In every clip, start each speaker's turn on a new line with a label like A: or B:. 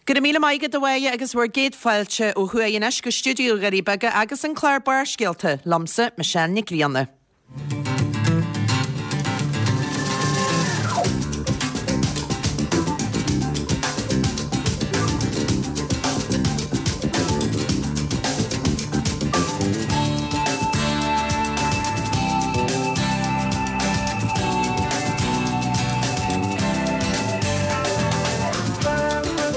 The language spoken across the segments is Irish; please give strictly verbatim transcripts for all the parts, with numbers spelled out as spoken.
A: Go raibh míle maith agat a Mháire agus bhur gcéad fáilte ó thuaidh anois go stiúideo Dhoirí Beaga agus an clár Barrscéalta, liomsa, Michelle Nic Grianna.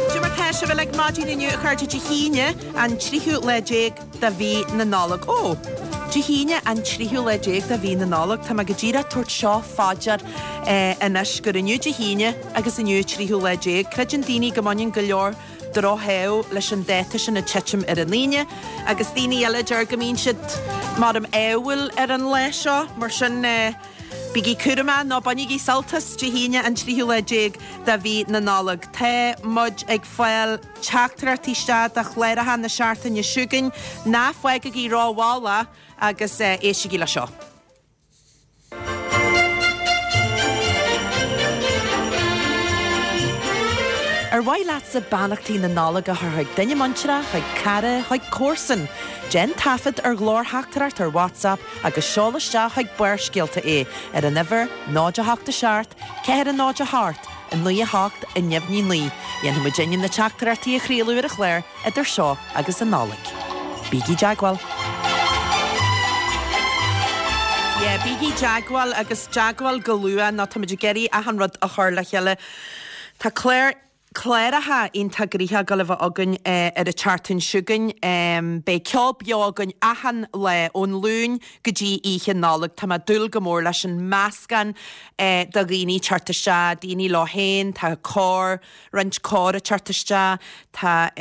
A: Cad é mar tá sibh uilig maidin inniu a chairde Dé hAoine an tríú lá déag de mhí na Nollag. Ó! Dé hAoine an tríú lá déag de mhí na Nollag. Tá mé go díreach ag tabhairt seo fá dear anois gur inniu Dé hAoine agus inniu an tríú lá déag. Creideann daoine go mbaineann go leor drochádh leis an dáta sin ag titim ar an Aoine agus daoine eile deir go mbíonn siad mar am ádhúil ar an lá seo. Mar sin bígí cúramach nó bainigí sult as Dé hAoine an tríú lá déag de mhí na Nollag. Tá muid ag fáil teachtaireachtaí isteach do chláracha na seachtaine seo chugainn. Ná fágaigí rómhall é agus éistigí le seo. Ar mhaith leatsa beannachtaí na Nollag a chur chuig duine muinteartha, chuig cara, chuig comharsan? Déan taifead ar ghlórtheachtaireacht ar WhatsApp agus seol isteach chuig Barrscéalta é ar an uimhir náid a hocht a seacht, ceathair a náid a hocht, a naoi a hocht, a neamhní naoi. Dhéanfaidh muidinne na teachtaireachtaí a chraoladh ar an chlár idir seo agus an Nollaig. Bígí i dteagmháil! Yeah, bígí i dteagmháil agus dteagmháil go luath nó táimid ag iarraidh achan rud a chur le chéile. Tá clár cláracha iontach gnoitheach ag dul a bheith againn ar an tseachtain seo chugainn. Beidh ceol beo againn achan lá ón Luan go dtí Oíche Nollag. Tá mé ag dúil go mór leis an meascán de dhaoine ag teacht isteach, daoine leo féin, tá cór, roinnt cór ag teacht isteach, tá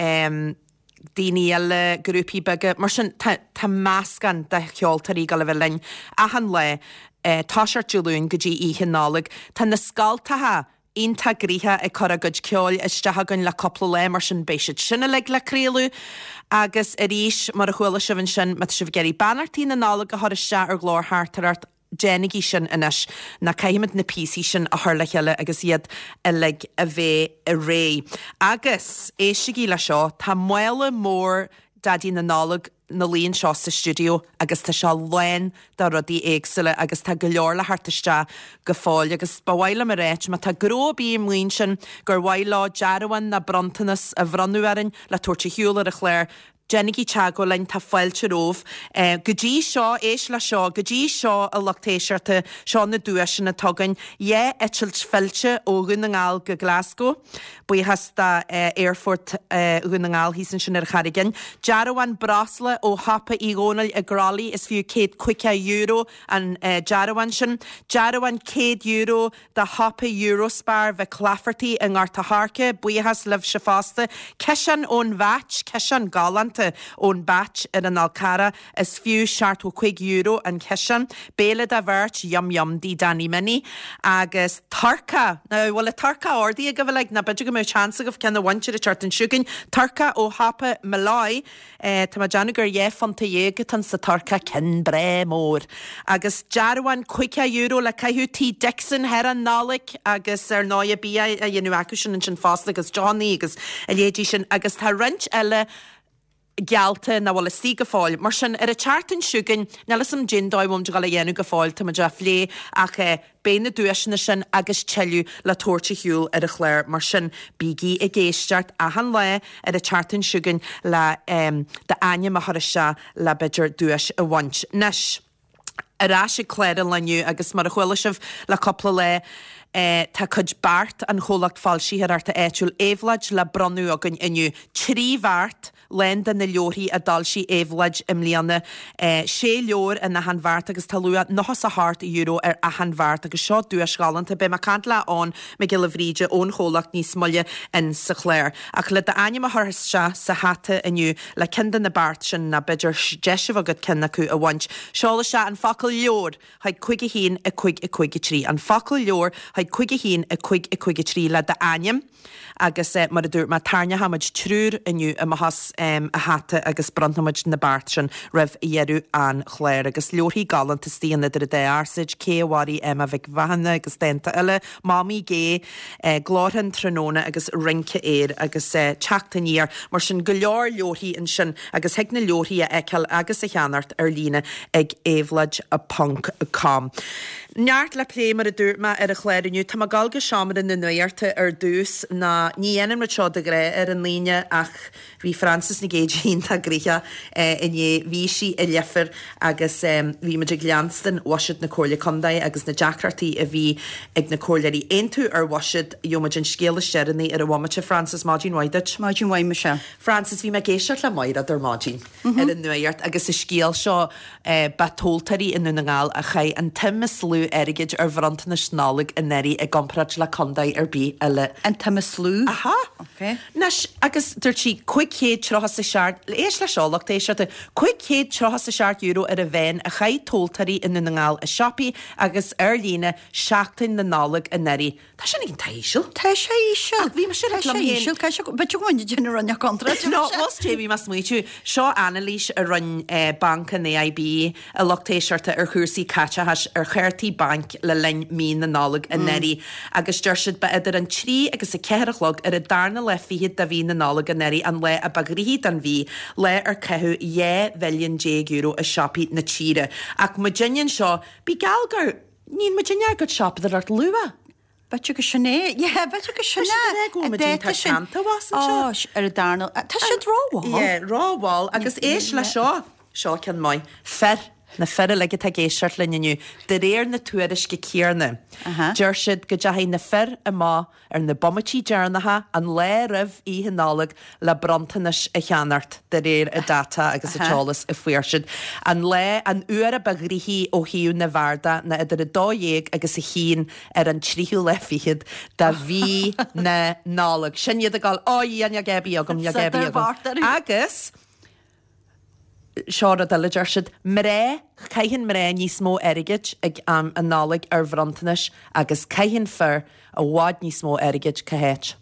A: daoine eile, grúpaí beaga. Mar sin tá tá meascán de cheoltóirí ag dul a bheith linn achan lá, toiseacht Dé Luain go dtí Oíche Nollag. Tá na scoltacha iontach gnoitheach ag cur a gcuid ceoil isteach againn le cúpla lá, mar sin beidh siad sin uilig le craoladh. Agus arís, mar a chuala sibh ansin, má tá sibh ag iarraidh beannachtaí na Nollag a chur isteach ar ghlórtheachtaireacht, déanaigí sin anois, nó caithfimid na píosaí sin a chur le chéile agus iad uilig a bheith réidh. Agus, éistigí le seo, tá mála mór Daidí na Nollag ina luí anseo sa stiúideo agus tá sé lán de rudaí éagsúla agus tá go leor le theacht isteach go fóill agus ba mhaith liom a ráit má tá gnó ar bith amuigh ansin gur mhaith leo dearbhán nó bronntanas a bhronnadh orainn le tabhairt ar shiúl ar an chlár, déanaigí teagmháil linn, tá fáilte romhaibh. Go dtí seo, éist le seo, go dtí seo a lucht éisteachta, seo na duaiseanna atá againn, dhá eitilt fillte ó Dhún na nGall go Glasgow, Buíochas do Aerfort Dhún na nGall thíos ansin ar an Charraig Fhinn. Dearbhán breosla ó shiopa Uí Dhónaill i gCroithlí, is fiú céad caoga euro an dearbhán sin. Dearbhán céad euro do shiopa Eurospar Mhic Laifeartaigh i nGort a' Choirce, buíochas libhse fosta. Ciseán ón Bheait, ciseán galánta ón Bheait ar an Fhál Carrach, is fiú seachtó cúig euro an ciseán. Béile do bheirt, yum yum dtí Danny Minnie. Agus turcaí, now bhfuil an turcaí ordaithe agaibh uilig nó b'fhéidir go mbeadh seans agaibh ceann a bhaint ar an tseachtain seo chugainn. Turcaí ó shiopa Molloy, tá mé ag déanamh gur dhá phunta dhéag atá sa turcaí, ceann breá mór. Agus dearbhán caoga euro le caitheamh tí Dixon thar an Nollaig agus ar ndóigh bia á dhéanamh acu sin ansin fosta agus deochannaí agus a leithéidí sin agus tá roinnt eile geallta nach bhfuil istigh go fóill. Mar sin, ar an tseachtain seo chugainn, níl 'fhios a'm cén dóigh a bhfuil muid ag dul a dhéanamh go fóill, tá muid á phlé ach eh beidh na duaiseanna sin agus tuilleadh le tabhairt ar shiúl ar an chlár. Mar sin, bígí ag éisteacht achan lá ar an tseachtain seo chugainn le em d'ainm a chur isteach le b'fhéidir duais a bhaint. Anois, ar ais ag clár an lae inniu agus mar a chuala sibh le cúpla lá, tá cuid beart an chomhlacht foilsitheoireachta áitiúil Éabhlóid le bronnadh againn inniu. Trí bheart lán de na leabharthaí a d'fhoilsigh Éabhlóid i mbliana. Sé leabhar in achan bheart agus tá luach nócha 's a hocht euro ar achan bheart agus seo duais ghalánta. Beidh mé ag caint le Eoin Mac Giolla Bhríde ón chomhlacht níos moille in sa chlár. Ach le d'ainm a chur isteach sa hata inniu le ceann de na beart sin nó b'fhéidir deis a bheith agat ceann acu a bhaint, seol isteach an focal leabhar chuig cúig a haon a cúig a cúig a trí. An focal leabhar chuig cúig a haon a cúig a cúig a trí le d'ainm Agus mar a dúirt mé, tarraingeoidh muid triúr inniu amach as an hata agus bronnfaidh muid na bearta sin roimh dheireadh an chláir. Agus leabharthaí galánta istigh in Idir an Dá Fhearsaid, Cé a Mharaigh Emma Mhic Mhathúna agus dánta eile, Mamaí Gé, Glórtha an Tráthnóna agus Rince Aeir agus Teacht Aniar. Mar sin go leor leabharthaí ansin agus thig na leabharthaí a fheiceáil agus a cheannacht ar líne ag éabhlóid ponc com. Neart le plé mar a dúirt mé ar an chlár inniu. Tá mé ag dul go seomra na nuachta ar dtús ná ní dhéanann muid seo de ghnáth ar an Aoine ach bhí Frances Nic Géadaigh iontach gnoitheach inné. Bhí sí i Leifear agus bhí muid ag leanstan bhuiséad na Comhairle Contae agus na deacrachtaí a bhí ag na comhairleoirí aontú ar bhuiséad. Gheobhaidh muid an scéal is deireanaí ar an bhomaite. Frances, maidin mhaith duit.
B: Maidin mhaith, Michelle.
A: Frances, bhí mé ag éisteacht le Maighread ar maidin ar an nuacht agus an scéal seo ba tomhaltóirí i nDún na nGall a chaith an tsuim is lú airgid ar bhronntanais Nollag anuraidh i gcomparáid le contae ar bith eile.
B: An tsuim is lú?
A: Aha.
B: Okay.
A: Anois, agus dúirt sí cúig chéad tríocha is a seacht, éist leis seo, lucht éisteachta, cúig chéad tríocha is a seacht euro ar an mheán a chaith tomhaltóirí i nDún na nGall i siopaí agus ar líne seachtain na Nollag anuraidh. Tá sin iontach íseal.
B: Tá sé íseal.
A: Ach bhí mise
B: Tá
A: ag
B: sé
A: liom féin.
B: íseal. Tá sé, b'fhéidir go bhfuil duine rinne contráilte.
A: No, was dé bhí mé ag smaoitiú. Seo anailís a rinne Banc an AIB a lucht éisteachta ar chúrsaí caiteachais ar chártaí bainc le linn mí na Nollag anuraidh agus deir siad ba idir an trí agus a ceathair a chlog ar an darna lá fichead de mhí na Nollag anuraidh an lá a ba ghnoithí den mhí, lá ar caitheadh dhá mhilliún déag euro i siopaí na tíre. Ach muidinne anseo, bí geall gur níl muidinne ag siopadóireacht luath.
B: B'fhéidir go sin é. Yeah, b'fhéidir go sin
A: Tá
B: é.
A: siad go bhfuil muid teannta was anseo.
B: Ó, ar an darna. Tá siad rómhall.
A: Yeah, rómhall agus éist le seo. Seo ceann maith. Fir, na fir uilig atá ag éisteacht linn inniu, de réir na tuairisce céanna.
B: Aha.
A: Deir siad go dteachaigh na fir amach ar na bomaití deireanacha an lá roimh Oíche Nollag le bronntanais a cheannacht de réir a data agus a t-eolas a fuair siad. An lá an uair a ba ghnoithí ó thaobh na bhfear de ná idir a dó dhéag agus a haon ar an tríú lá fichead de mhí na Nollag. Sin iad ag dul, "Ó, Dhia, níl gab agam, níl gab agam." Agus seo rud eile deir siad, mná, caitheann mná níos mó airgid ag am an Nollaig ar bhronntanais agus caitheann fir i bhfad níos mó airgid cá háit.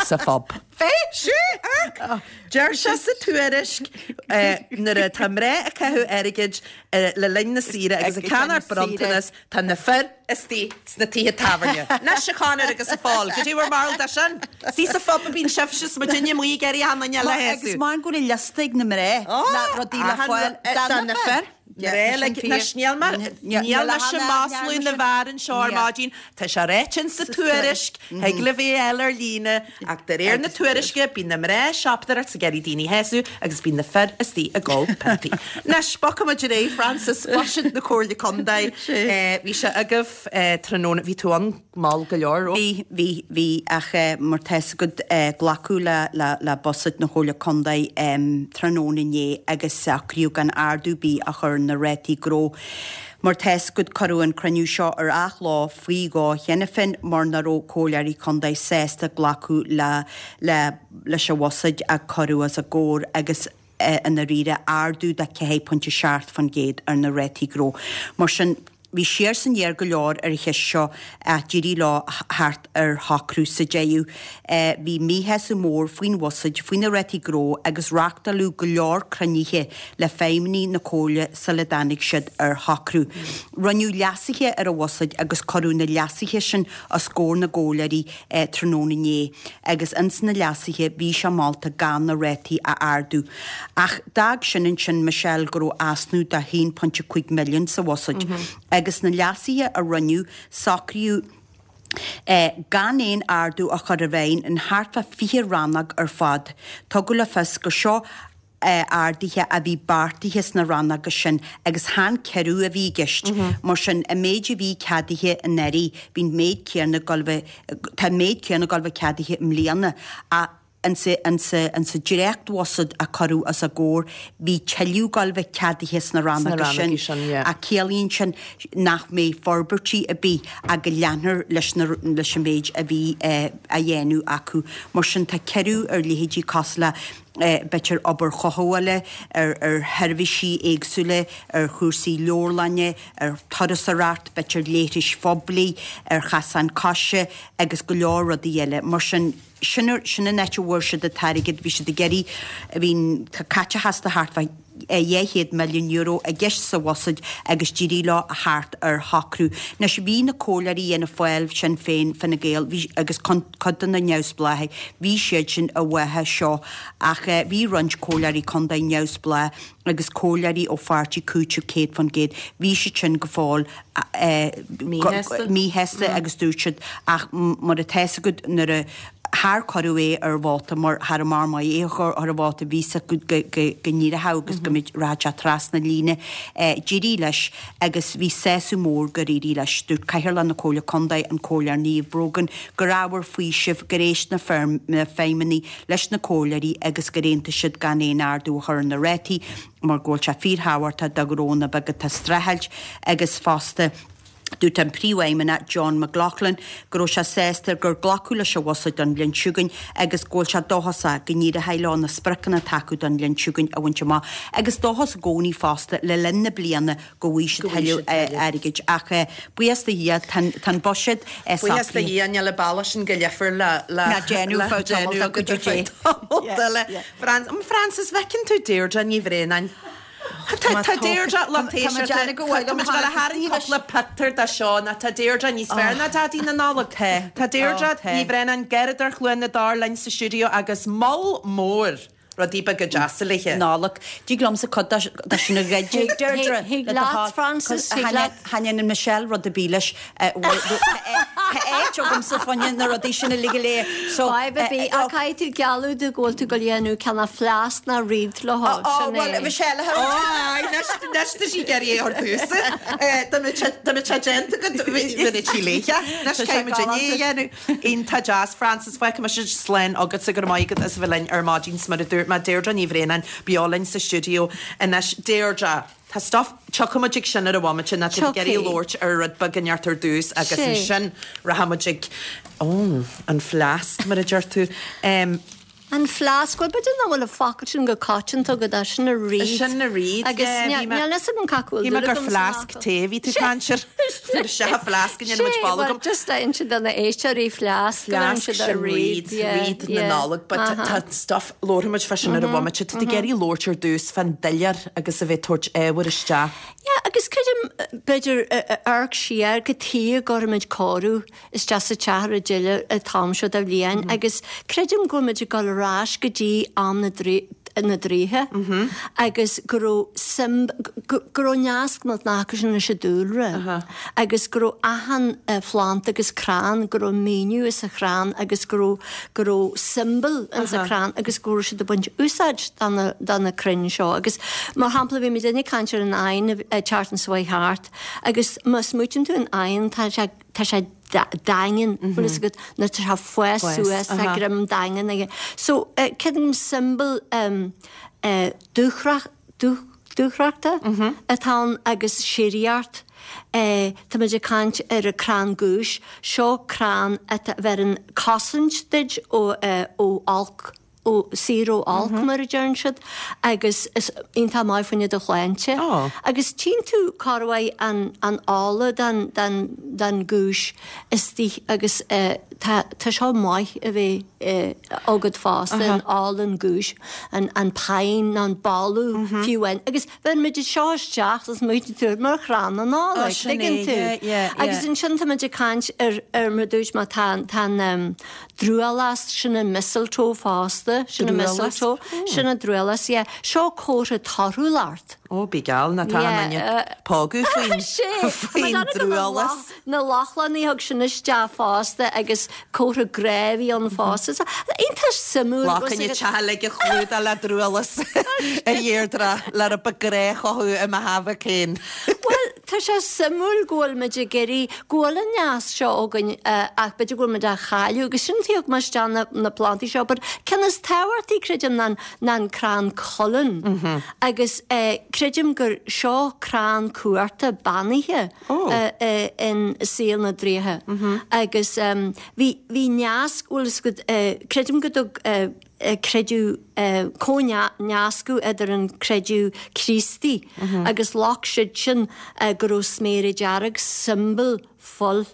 A: Sa phub.
B: Fé?
A: Sí, ach deir sé sa tuairisc nuair atá mná ag caitheamh airgid le linn na saoire agus ag ceannacht bronntanas, tá na fir istigh sna tithe tábhairne. Anois a Chonor agus a Phóil, goidé bhur mbarúil de sin. Sí sa phub a bíonn sibhse is muidinne amuigh ag iarraidh achan duine eile a
B: Agus
A: shásamh.
B: mar go bhfuil liosta ag na mná le rudaí le fáil
A: do na fir. Mná le Anois níl mé níl mise ag maslú na bhfear anseo ar maidin, tá sé ráite sa tuairisc, thig libh é a fháil ar líne, ach de réir na tuairisce bíonn na mná ag siopadóireacht ag iarraidh daoine a shásamh agus bíonn na fir istigh ag ól piontaí. Anois, bogfaidh muid ar aghaidh, Frances, Buiséad na Comhairle Contae, bhí sé agaibh tráthnóna, bhí tú ann mall go leor, raibh?
B: Bhí, bhí, bhí, ach mar tá fhios agat glacadh le, le, le Buiséad na Comhairle Contae tráthnóna inné agus socraíodh gan ardú ar bith a chur ar na rátaí gnó. Mar tá fhios agat cuireadh an cruinniú seo ar athló faoi dhó cheana féin mar nach raibh comhairleoirí contae sásta glacadh le, le, leis an bhuiséad a cuireadh os a gcomhair agus i ndáiríre ardú de ceathair pointe seacht faoin gcéad ar na rátaí gnó. Mar sin, bhí siar is aniar go leor ar an cheist seo ach d'éirigh leo theacht ar shocrú sa deireadh. Bhí míshásamh mór faoin bhuiséad, faoi na rátaí gnó agus reáchtáladh go leor cruinnithe le feidhmeannaigh na Comhairle sula dtáinig siad ar shocrú. Rinneadh leasuithe ar an bhuiséad agus cuireadh na leasuithe sin os comhair na gcomhairleoirí tráthnóna inné agus ins na leasuithe bhí sé molta gan na rátaí a ardú. Ach d'fhág sin ansin Michelle go raibh easnamh de haon pointe cúig milliún sa bhuiséad. Agus na leasuithe a rinneadh, socraíodh gan aon ardú a chur i bhfeidhm in thart fá fiche rannóg ar fad. Tugadh le fios gur seo arduithe a bhí beartaithe sna rannóga sin agus chan ciorrú a bhí i gceist. Mar sin, an méid a bhí ceadaithe anuraidh, bhí an méid céanna ag dul bheith, tá an méid céanna ag dul bheith ceadaithe i mbliana. Ach insa, insa, insa dréachtbhuiséad a cuireadh os a gcomhair, bhí tuilleadh ag dul bheith ceadaithe sna rannóga sin.
A: sin, yeah.
B: Ach ciallaíonn sin nach mbeidh forbairtí ar bith ach go leanfar leis na, leis an méid a bhí á dhéanamh acu. Mar sin tá ciorrú ar leithéidí cosúil le b'fhéidir obair chothabhála, ar ar sheirbhísí éagsúla, ar chúrsaí leabharlainne, ar turasóireacht, b'fhéidir leithris phoiblí, ar chasáin coise agus go leor rudaí eile. Mar sin, sin sin an áit a bhfuair siad an t-airgead, bhí siad ag iarraidh, bhí an caiteachas de thart fá dhá chéad milliún euro i gceist sa bhuiséad agus d'éirigh leo a theacht ar shocrú. Anois bhí na comhairleoirí Fhianna Fáil, Sinn Féin, Fine Gael, bhí agus cuid de na neamhspleáchaigh, bhí siad sin i bhfáth seo ach bhí roinnt comhairleoirí contae neamhspleách agus comhairleoirí ó pháirtí Cúiteamh céad faoin gcéad, bhí siad sin go fóill míshásta agus dúirt siad ach mar atá 'fhios agat nuair a char cuireadh é ar vóta mar cha raibh mar maith é a chur ar vóta bhí 'fhios acu go n-éireodh agus go mbeadh rachadh sé trasna líne. D'éirigh leis agus bhí sásamh mór gur éirigh leis. Dúirt Cathaoirleach na Comhairle Contae, an Comhairleoir Niamh Brogan, gur ábhar faoisimh gur éist na feidhmeannaigh leis na comhairleoirí agus gur aontaigh siad gan aon ardú a chur ar na rátaí mar go bhfuil sé fíorthábhachtach do ghnónna beaga atá ag streachailt agus fosta Dúirt an Príomhfheidhmeannach John McLaughlin go raibh sé sásta gur glacadh leis an bhuiséad don bhliain seo chugainn agus go bhfuil sé dóchasach go n-éireoidh leo na spriocanna atá acu don bhliain seo chugainn a bhaint amach agus dóchas i gcónaí fosta le linn na bliana go bhfaighidh siad tuilleadh airgid. Ach buíochas do Dhia, tá an buiséad socraithe.
A: Buíochas do Dhia, níl an bealach sin go leifear le
B: déanamh fá
A: tamall eile. Frances, bhfeiceann tú Deirdre Ní Bhraonáin? Tá Deirdre lucht éisteachta, tá muid ag dul a tharraingt cúpla pictiúr de seo ná tá Deirdre níos fearr ná Daidí na Nollag. Tá Deirdre Ní Bhraonáin, Garradóir Chluain na dTor linn sa stiúideo agus moll mór rudaí beaga deasa léi.
B: Nollag. Tig liomsa cuid de sin a ghoid Deirdre.
C: Thig leat, Frances, thig leat.
B: Cha ndéanann Michelle rud ar bith leis. Tá áit agamsa fá choinne na rudaí sin uilig go léir.
C: So, Fadhb ar bith, ach caithfidh tú gealladh domh go bhfuil tú ag dul a dhéanamh cineál fleasc ná wreath le hó,
A: Ó,
C: sin
A: bhuel,
C: é.
A: Michelle, ó, aye, anois, anois tá sí ag iarraidh é a thabhairt domhsa. Dá mbeadh sé, dá mbeadh sé déanta agat, bheadh sí léithe. Anois
B: Tá sé
A: caithfidh muid inné a
B: galánta.
A: dhéanamh. Iontach deas, Frances, fágfaidh mise slán agatsa, go raibh maith agat as a bheith linn ar maidin, 's mar a dúirt mé, Deirdre Ní Bhraonáin, beo linn sa stiúideo anois. Deirdre. Tá stuff, tiocfaidh muid ag sin ar an bhomaite, ná tá ag iarraidh labhairt ar rud beag inteacht ar dtús agus ansin rachaidh muid ag, ó, an fleasc mar a deir tú.
C: Em. An fleasc, bhuel b'fhéidir nach bhfuil an focal sin go coitianta agat, ach sin an wreath.
A: Sin an wreath,
C: Agus
A: yeah, bhí mé,
C: níl fhios agam cad bhfuil
A: bhí mé
C: dúil
A: gur
C: agam san
A: fleasc
C: fhocal.
A: tae a bhí tú ag caint air. Nuair is ea fleasc a ndéanann muid
C: Sé,
A: bolg
C: bhuel
A: agam.
C: just a inse do na éisteoirí fleasc, go mbeireann
A: Fleasc
C: siad ar
A: sin
C: wreath,
A: wreath,
C: yeah,
A: wreath na
C: yeah,
A: Nollag, but
C: aha.
A: tá stuff, labharfaidh muid fá sin ar an bhomaite, tá tú ag iarraidh labhairt ar dtús fán doiléir agus a bheith ag tabhairt ábhair isteach.
C: Yeah, agus creidim, b'fhéidir, amharc siar cad chuige a gcuirimid cóiriú isteach sa teach ar an deireadh an t-am seo de bhliain agus creidim go bhfuil muid ag dul ar ais go dtí am na na draoithe agus go raibh suim, go raibh nasc millteanach acu sin leis an dúlra agus go raibh achan phlant agus crann, go raibh míniú ins an chrann agus go raibh, go raibh symbol ins an chrann agus go raibh siad ag baint úsáid de na, de na crainn seo agus mar shampla bhí muid ag caint ar an eidheann an tseachtain seo chuaigh thart agus má smaoitíonn tú an eidheann tá sé, tá sé daingean, bhfuil fhios agat, nuair tá sé ag fás suas, tá greim daingean aige. So creidim symbol dúthracht, dúthrachta atá ann agus síoraíocht. Tá muid ag caint ar an crann giúis, seo crann atá a bheireann cosaint duit ó olc. ó saor ó olc mar a deireann siad agus is iontach maith fá choinne do shláinte. Agus tchíonn tú corruair an an ola den den den ghiúis istigh agus tá tá seo maith a bheith agat fosta an ola an ghiúis an an pine an boladh fiú amháin agus bheireann muid seo isteach is smaoitíonn tú mar chrann na Nollag tuigeann tú. Agus ansin tá muid ag caint ar ar mar dúirt mé tá tá an drualast, sin an mistletoe fosta, sin an mistletoe, sin an drualast, yeah. Seo comhartha torthúlacht.
A: Ó, bí geall, ná tá an duine pógadh faoin faoin drualast.
C: Na Lochlannaigh thug sin isteach fosta agus comhartha grá a bhí ann fosta. So, iontach suimiúil.
A: Lá coinne teach uilig a chlúdach le drualast a Dheirdre, le rud beag grá a chothú i mo thaobh féin.
C: Bhuel, tá sé suimiúil go bhfuil muid ag iarraidh, go bhfuil an neas seo againn ach b'fhéidir go bhfuil muid á chailleadh agus sin thug mé isteach na, na plantaí seo but ceann is tábhachtaí creidim ná, ná an crann cuileann mm -hmm. agus eh, creidim gur seo crann cuarta beannaithe oh. eh, eh, in saol na draoithe mm -hmm. agus um, bhí, bhí neas bhfuil eh, creidim go dtug eh, creideamh comhnascadh idir an creideamh Críostaí agus ghlac siad sin go raibh sméara dearg siombail fuil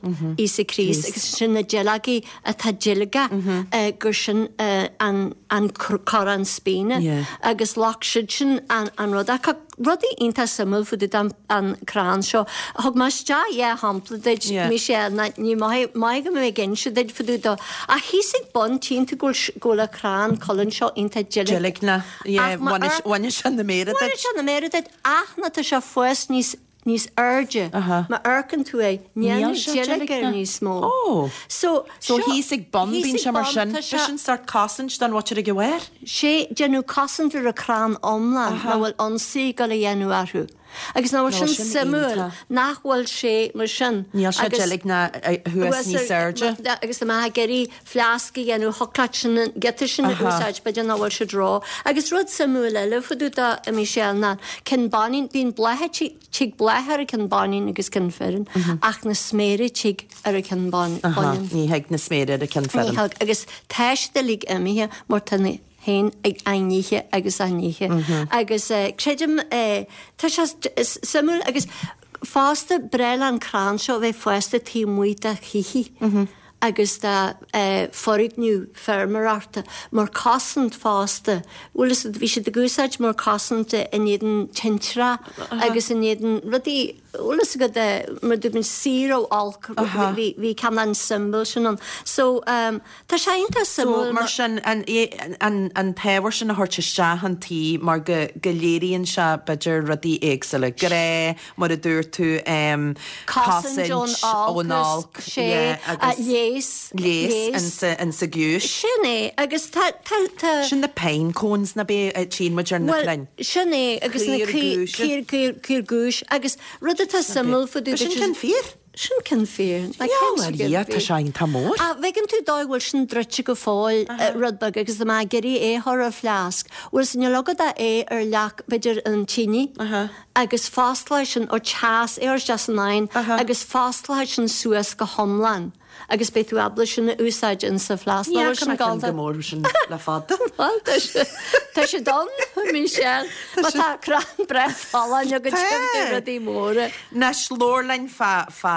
C: Íosa Críost agus sin na duilleogaí atá deilgneach gur sin an an coróin spíne agus ghlac siad sin an an rud ach rudaí iontach suimiúil fá dtaobh den an crann seo. Thug mé isteach dhá shampla duit Michelle ná ní maith maith go mbeidh ag inse duit fá dtaobh dó ach thíos ag bun tchíonn tú go bhfuil go bhfuil an crann colainn seo iontach deilgneach.
A: Deilgneach, yeah, bhain sé na méara duit.
C: Bhain sé na méara duit ach nuair atá sé ag fás níos níos airde. Má amharcann tú air, níl deilg air níos mó.
A: Oh. So, so thíos ag bun bíonn sé mar sin. Sin sórt cosaint don mhuintir ag a bharr?
C: Sé déanamh cosaint ar an crann iomlán nach bhfuil ionsaí ag dul a dhéanamh orthu. Agus nach bhfuil sin suimiúil nach bhfuil sé mar sin.
A: Níl sé deilgneach thuas níos airde.
C: Agus dá mbeifeá ag iarraidh fleasc a dhéanamh thiocfadh leat sin an giota sin a úsáid b'fhéidir nach bhfuil siad ró. Agus rud suimiúil eile fá dtaobh de a Michelle ná cinn baineann bíonn blátha Tig bláth ar an ceann baineann agus ceann fireann, ach na sméara tig ar an ceann baineann.
A: Ní thig na sméara ar an ceann fireann.
C: Ní thig, agus tá siad uilig imithe mar tá na héin ag á n-ithe agus á n-ithe. Agus creidim, tá sé suimiúil agus fosta breá le an crann seo a bheith fásta taobh amuigh de thithe. agus de foirgneamh feirmeoireachta mar cosaint fosta. Bhfuil fhios agat, bhí siad ag úsáid mar cosaint in éadan tintreach agus in éadan rudaí, bhfuil fhios agat, mar dúirt muid, saor ó olc, bhí bhí ceann an symbol sin ann. So tá sé iontach
A: suimiúil. So mar sin, an an an t-ábhar sin a thabhairt isteach an tí mar go go léiríonn sé b'fhéidir rudaí éagsúla, grá, mar a dúirt tú,
C: cosaint ón olc, sé, léas,
A: léas insa ghiúis.
C: Sin é, agus tá, tá, tá.
A: Sin na pine cones ná bí a tchíonn muid ar na crainn.
C: Bhuel, sin é, agus na caor, caor, caor giúis, agus rud atá suimiúil fá dtaobh.
A: Sin ceann fir?
C: Sin ceann fir.
A: Gheall ar Dhia, tá sé iontach mór.
C: Ach bhfeiceann tú dóigh bhfuil sin druidte go fóill rud beag agus dá mbeifeá ag iarraidh é a chur ar fleasc. Bhuel, níl agat ach é ar leac, b'fhéidir an tine agus fosclóidh sin ó teas, é a chur isteach san oigheann agus fosclóidh sin suas go hiomlán agus beidh tú ábalta sin a úsáid in sa fleasc.
A: Ní fhaca mé ceann chomh mór sin le fada.
C: Bhuel, tá sé, tá sé ann, Michelle. Má tá crann breá folláin agat tiocfaidh tú rudaí móra.
A: Anois, labhair linn fá, fá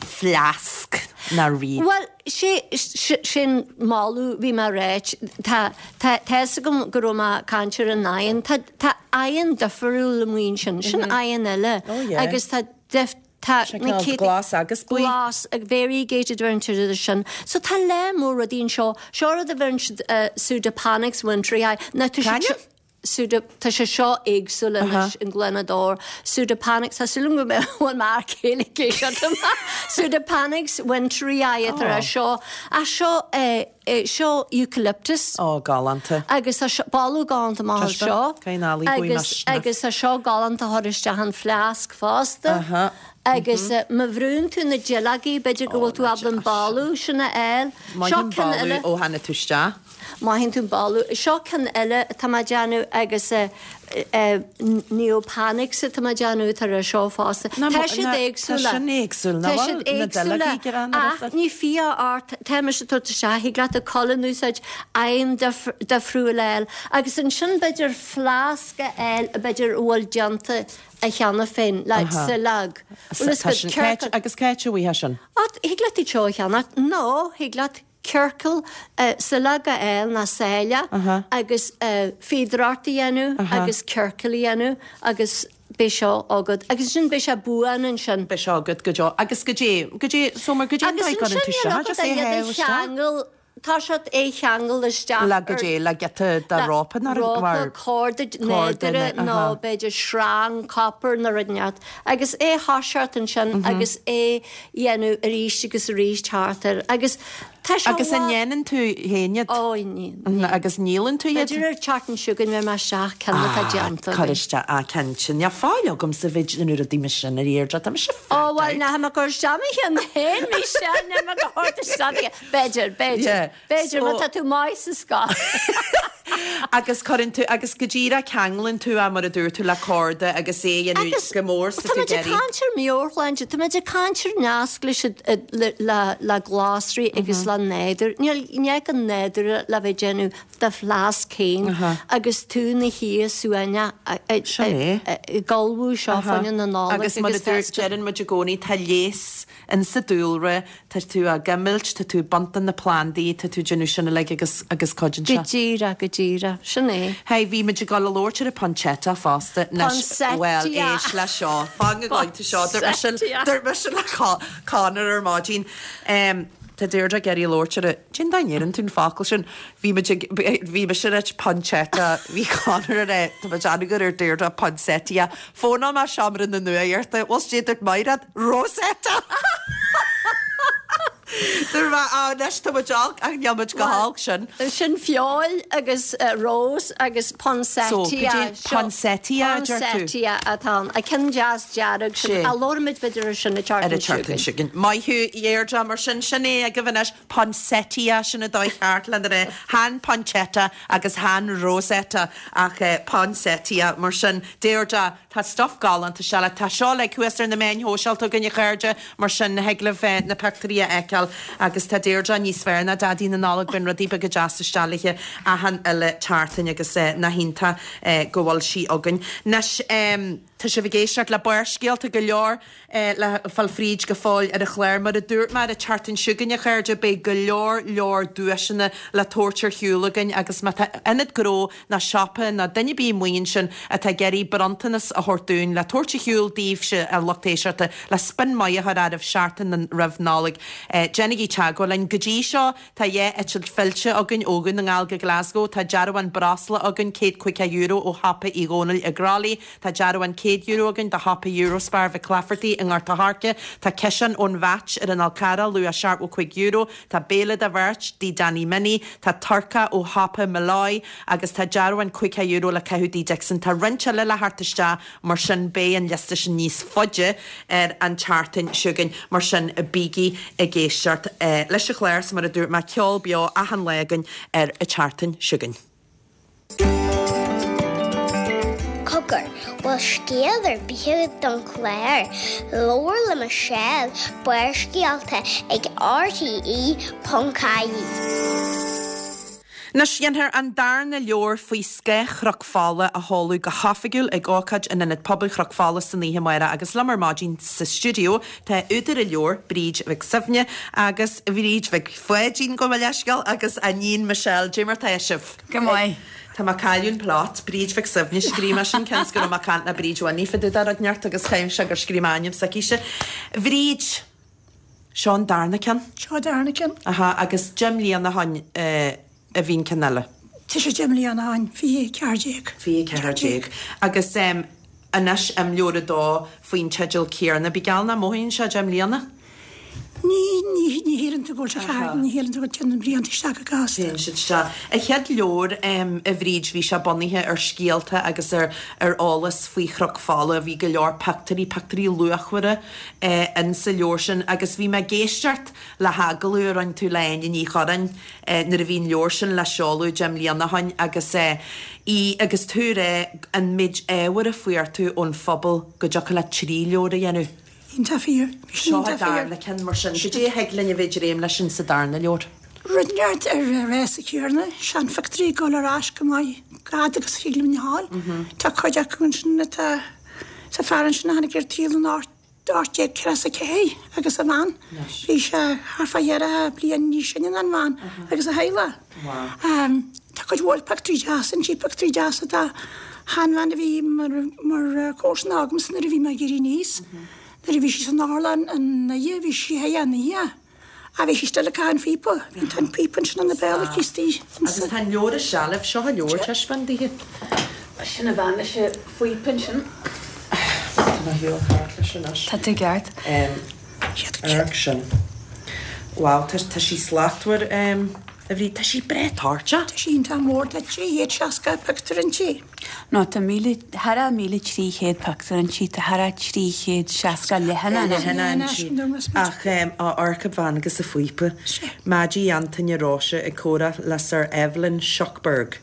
A: fleasc na wreath.
C: Bhuel, sé, sin moladh, bhí mé ag ráit, tá, tá, tá fhios agam go raibh mé ag caint ar an oigheann, tá, tá oigheann difriúil amuigh ansin, sin oigheann eile agus tá dif, tá
A: na céadta, glas agus buí.
C: Glas, variegated a bheireann siad air sin. So tá lear mór rudaí anseo, seo rud a bheireann siad Pseudopanax winterii, ná tá siad seo, Pseudo, tá sé seo éagsúil anois an glanadóir. Pseudopanax, tá súil agam go mbeidh bhfuil m'fhear céile ag éisteacht liom. Pseudopanax winterii atá ar seo. Ach seo eh, eh, seo eucalyptus.
A: Ó, galánta.
C: Agus tá seo, boladh galánta maith as seo. Agus, agus tá seo galánta a chur isteach an fleasc fosta.
A: Aha.
C: Agus eh, má bhrúnn tú na duilleogaí, b'fhéidir go bhfuil tú ábalta an boladh sin a fháil.
A: Maith
C: Seo
A: an
C: ceann eile.
A: boladh ó tháinig tú isteach.
C: Mothaíonn tú an boladh. Seo ceann eile atá mé ag déanamh agus Neopanax atá mé ag déanamh atá ar seo fosta. Tá siad éagsúla.
A: Tá sin éagsúil,
C: nach bhfuil? Tá siad éagsúla ach ní fiach ort, tá mise ag tabhairt isteach, thig leat an colainn a úsáid, oigheann difriúil a fháil agus ansin b'fhéidir fleasc a fháil b'fhéidir a bhfuil déanta a cheana féin, like saileog. Bhfuil fhios agat, ciorcal.
A: Agus cá háit a bhfaighfeá sin?
C: Thig leat iad seo a cheannach nó thig leat ciorcal saileog a fháil ná sáile agus fíodóireacht a dhéanamh agus ciorcal a dhéanamh agus beidh seo agat. Agus ansin beidh sé buan ansin.
A: Beidh seo agat go deo. Agus goidé, goidé, so mar goidé an
C: Agus
A: dóigh a gcuireann
C: ansin
A: tú
C: níl
A: seo,
C: agat
A: just
C: ach
A: é a
C: iad a
A: shábh isteach?
C: cheangal, tá siad é a cheangal isteach
A: Le
C: ar
A: goidé, le giota de
C: le
A: rópa nó
C: rópa,
A: mar
C: corda
A: corda
C: nádúrtha
A: nó,
C: nó
A: aha.
C: b'fhéidir sreang copper nó rud inteacht. Agus é a thoiseacht ansin agus é dhéanamh arís agus arís thart air. Agus Tá sé
A: Agus an ndéanann tú féin iad?
C: Ó, ní, ní.
A: Agus ndíolann tú iad?
C: B'fhéidir ar an tseachtain seo chugainn beidh mé isteach ceann atá
A: Ah,
C: déanta
A: cuir
C: againn.
A: isteach, ah, cinnte. Níl fáil agamsa bheith ag déanamh rudaí mar sin ar Dheirdre, tá mise
C: Ó,
A: fat
C: bhuel,
A: out.
C: nach mbeadh cur isteach mo cheann féin, Michelle, nach mbeadh a thabhairt isteach. B'fhéidir, b'fhéidir,
A: Yeah.
C: b'fhéidir, má
A: So-
C: tá tú maith sa scoil.
A: Agus cuireann tú agus go díreach ceanglann tú é mar a dúirt tú le corda agus é a dhéanamh go mór sa
C: Tá muid ag caint ar meabhairshláinte, tá muid ag caint ar nasc leis le le glasraí agus le nádúr. Níl ní an nádúr le bheith déanamh do fleasc féin agus tú na shuí suaimhneach ag ullmhú seo fá choinne na Nollag
A: Agus mar a dúirt deireann muid i gcónaí tá leigheas in sa dúlra, tá tú á gcuimilt, tá tú ag baint de na plandaí, tá tú ag déanamh sin uilig agus agus cuidíonn
C: Go
A: sé.
C: díreach, go díreach, sin é.
A: Hey, bhí muid ag dul a labhairt ar an poinsettia fosta.
C: Poinsettia.
A: Well, éist le seo. Fan go gcloisfidh tú seo. Dúirt mise
C: Poinsettia.
A: dúirt mise le Conor ar maidin. Um, Tá Deirdre ag iarraidh labhairt ar a Cén dá ndeireann tú an focal sin? Bhí muid ag bhí mise ag rá poinsettia, bhí Conor ar é, tá muid ag ar Deirdre poinsettia. Fóna má seomra na nuachta, bhfuil sé dúirt Mairéad Rosetta. Dúirt mé á anois tá muid olc ach níl muid go holc sin.
C: Sin feoil agus uh, rose agus poinsettia.
A: So, cad é poinsettia, a deir tú?
C: Poinsettia atá ann. A ceann deas dearg sin.
A: Sé.
C: A labhraímid b'fhéidir ar sin an
A: Ar an
C: tseachtain
A: tseachtain seo chugainn. Maith thú Deirdre mar sin sin é agaibh anois poinsettia sin an dóigh cheart lena rá chan poinsettia agus chan Rosetta ach eh, poinsettia mar sin Deirdre tá stuff galánta se tá seo le cuas ar na meáin shóisialta againn a chairde mar sin thig libh eh, na pictiúirí a fheiceáil agus tá Deirdre níos fearr ná Daidí na Nollag bíonn rudaí beaga deasa istigh léi achan uile tseachtain agus eh, nach iontach eh, go bhfuil sí againn. Anois um, Tá sibh ag éisteacht le Barrscéalta go leor eh, le fáil fríd go fóill ar an chlár mar a dúirt mé an tseachtain seo chugainn a chairde beidh go leor leor duaiseanna le tabhairt ar shiúl againn agus má tá ionad gnó ná siopa ná duine ar bith amuigh ansin atá ag iarraidh bronntanas a thabhairt dúinn le tabhairt ar shiúl daoibhse a lucht éisteachta le spion maith a chur oraibh seachtain roimh Nollaig. Eh, Déanaigí teagmháil linn go dtí seo tá dhá eitilt fillte againn ó Dhún na nGall go Glasgow, tá dearbhán breosla againn céad caoga euro ó shiopa Uí Dhónaill i gCroithlí, tá dearbhán céad euro againn do shiopa Eurospar Mhic Laifeartaigh i nGort a' Choirce, tá ciseán ón Mheait ar an Fhál Carrach luach seachtó cúig euro, tá béile do bheirt dí Danny Minnie, tá turcaí ó shiopa Molloy agus tá dearbhán caoga euro le caitheamh dí Dixon. Tá roinnt eile le theacht isteach mar sin beidh an liosta sin níos faide ar an tseachtain seo chugainn mar sin bígí ag éisteacht eh, leis an chlár mar a dúirt mé ceol beo achan lá againn ar an tseachtain seo chugainn.
D: Cogar, bhfuil scéal ar bith don chlár, Labhair le Michelle, Barrscéalta ag RTE.ie.
A: Anois déanfar an darna leabhar faoi scáth Chnoc Fola a sheoladh go hoifigiúil ag ócáid in Ionad Pobail Chnoc Fola san oíche amárach agus liom ar maidin sa stiúideo tá údar an leabhair Bríd Mhic Suibhne agus Bríd Mhic Pháidín gabh mo leithscéal agus a níon Michelle Cad é mar tá sibh.
E: Go maith.
A: Tá mé ag cailleadh an plot, Bríd Mhic Suibhne scríobh mé sin cionn is go raibh mé ag caint le Bríd Winnie fá dtaobh de rud inteacht agus chaim sé gur scríobh mé ainm s'aicise. Bríd seo an darna ceann.
F: Seo darna ceann.
A: Aha, agus deich mbliana ó shin eh, a bhí an ceann eile.
F: Tá sé deich mbliana ó shin fiche ceathair déag.
A: Fiche ceathair déag. Agus um, anois imleabhar a dó faoin teideal céanna, bí geall nach mothaíonn sé deich mbliana?
F: Ní ní ní shíleann tú go bhfuil sé thart, ní shíleann tú go dtéann na blianta isteach go gasta.
A: Téann siad isteach. An chéad leabhar um, a Bhríd bhí sé bunaithe ar scéalta agus ar ar eolas faoi Chnoc Fola, bhí go leor pictiúirí pictiúirí luachmhara eh, in sa leabhar sin agus bhí mé ag éisteacht le hagallamh a rinne tú le Áine Ní Churráin eh, nuair a bhí an leabhar sin le seoladh deich mbliana ó shin agus eh, í agus tú rá an méid ábhair a fuair tú ón phobal go dtiocfadh le trí leabhar a dhéanamh.
F: Iontach fíor.
A: Seo an darna ceann mar sin, Cad é a thig linn a bheith ag dréim leis sin sa darna leabhar.
F: Rud inteacht ar résa céanna, seanphictiúirí ag dul ar ais go maith gad agus thig linn fháil. Tá cuid acu ansin atá sa fear ansin a tháinig ar saol in ocht ocht déag ceathracha ceathair agus a bhean. Bhí sé thart fá cheithre bliain níos sine ná an bhean agus a theaghlach. Um, tá cuid mhór pictiúirí deasa ansin pictiúirí deasa tá seanbhean a bhí mar mar comharsan agamsa nuair a bhí mé ag éirí aníos. Nuair a bhí sí san otharlann an oíche bhí sí an oíche. A bhí sí still ag caitheamh an phíopa, Bhí tá an píopa ansin ina béal aici istigh.
A: Agus tá an leabhar i seilbh seo an leabhar taispeáin daoithe.
E: Sin a bhean leis an phíopa ansin.
A: Tá mé shiúl thart leis anois.
E: Tá tú ceart.
A: Amharc sin. Wow, tá tá sí slachtmhar um, a Bhríd tá sí breá toirteach.
F: Tá sí iontach mór tá trí chéad seasca pictiúr inti.
B: No tá míle thar a míle trí chéad pictiúr inti tá thar a trí chéad seasca leathanach
A: Leathanach inti. Ach um, á amharc an bhean agus a phíopa. Maggie Antaine Róise ag comhrá le Sir Evelyn Shuckburgh.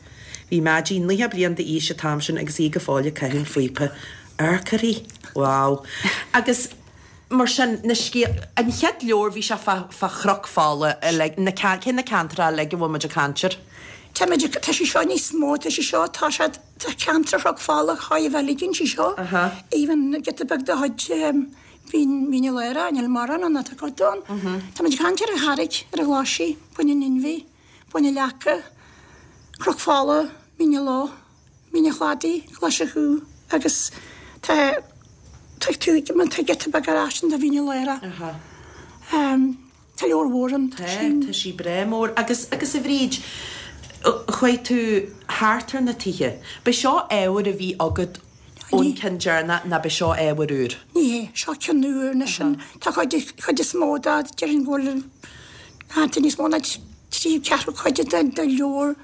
A: Bhí Maidí naocha bliain d'aois an t-am sin agus í go fóill ag caitheamh an phíopa. Arcairí? Wow. Agus mar sin, na scéal, an chéad leabhar bhí sé fá, fá Chnoc Fola, uilig, na, cé na ceantracha uilig a bhfuil muid ag caint air?
F: Tá muid ag, tá sé seo níos mó, tá sé seo, tá sé, tá ceantar Chnoc Fola chóir a bheith uilig inti seo.
A: Aha.
F: Even giota beag de chuid Mhín, Mín an Lora, níl mórán ann ach tá cuid ann. Tá muid ag caint ar an Charraig, ar an Ghlaisigh, Bun an Inbhir, Bun na Leaca, Cnoc Fola, Mín na Ló, Mín an Chladaigh, Glaise Chú agus tá tá tú má tá giota beag ar ais de Mhín an Lora. Tá leabhar mhór ann.
A: Tá, tá sí breá mór. Agus, agus a Bhríd, chuaigh tú thart ar na tithe. B'é seo ábhar a bhí agat ón ceann deireanach ná b'é seo ábhar úr?
F: Ní hé, seo ceann úr anois an, tá cuid, chuid is mó de, déarfainn go bhfuil, tá níos mó ná trí ceathrú cuid den leabhar,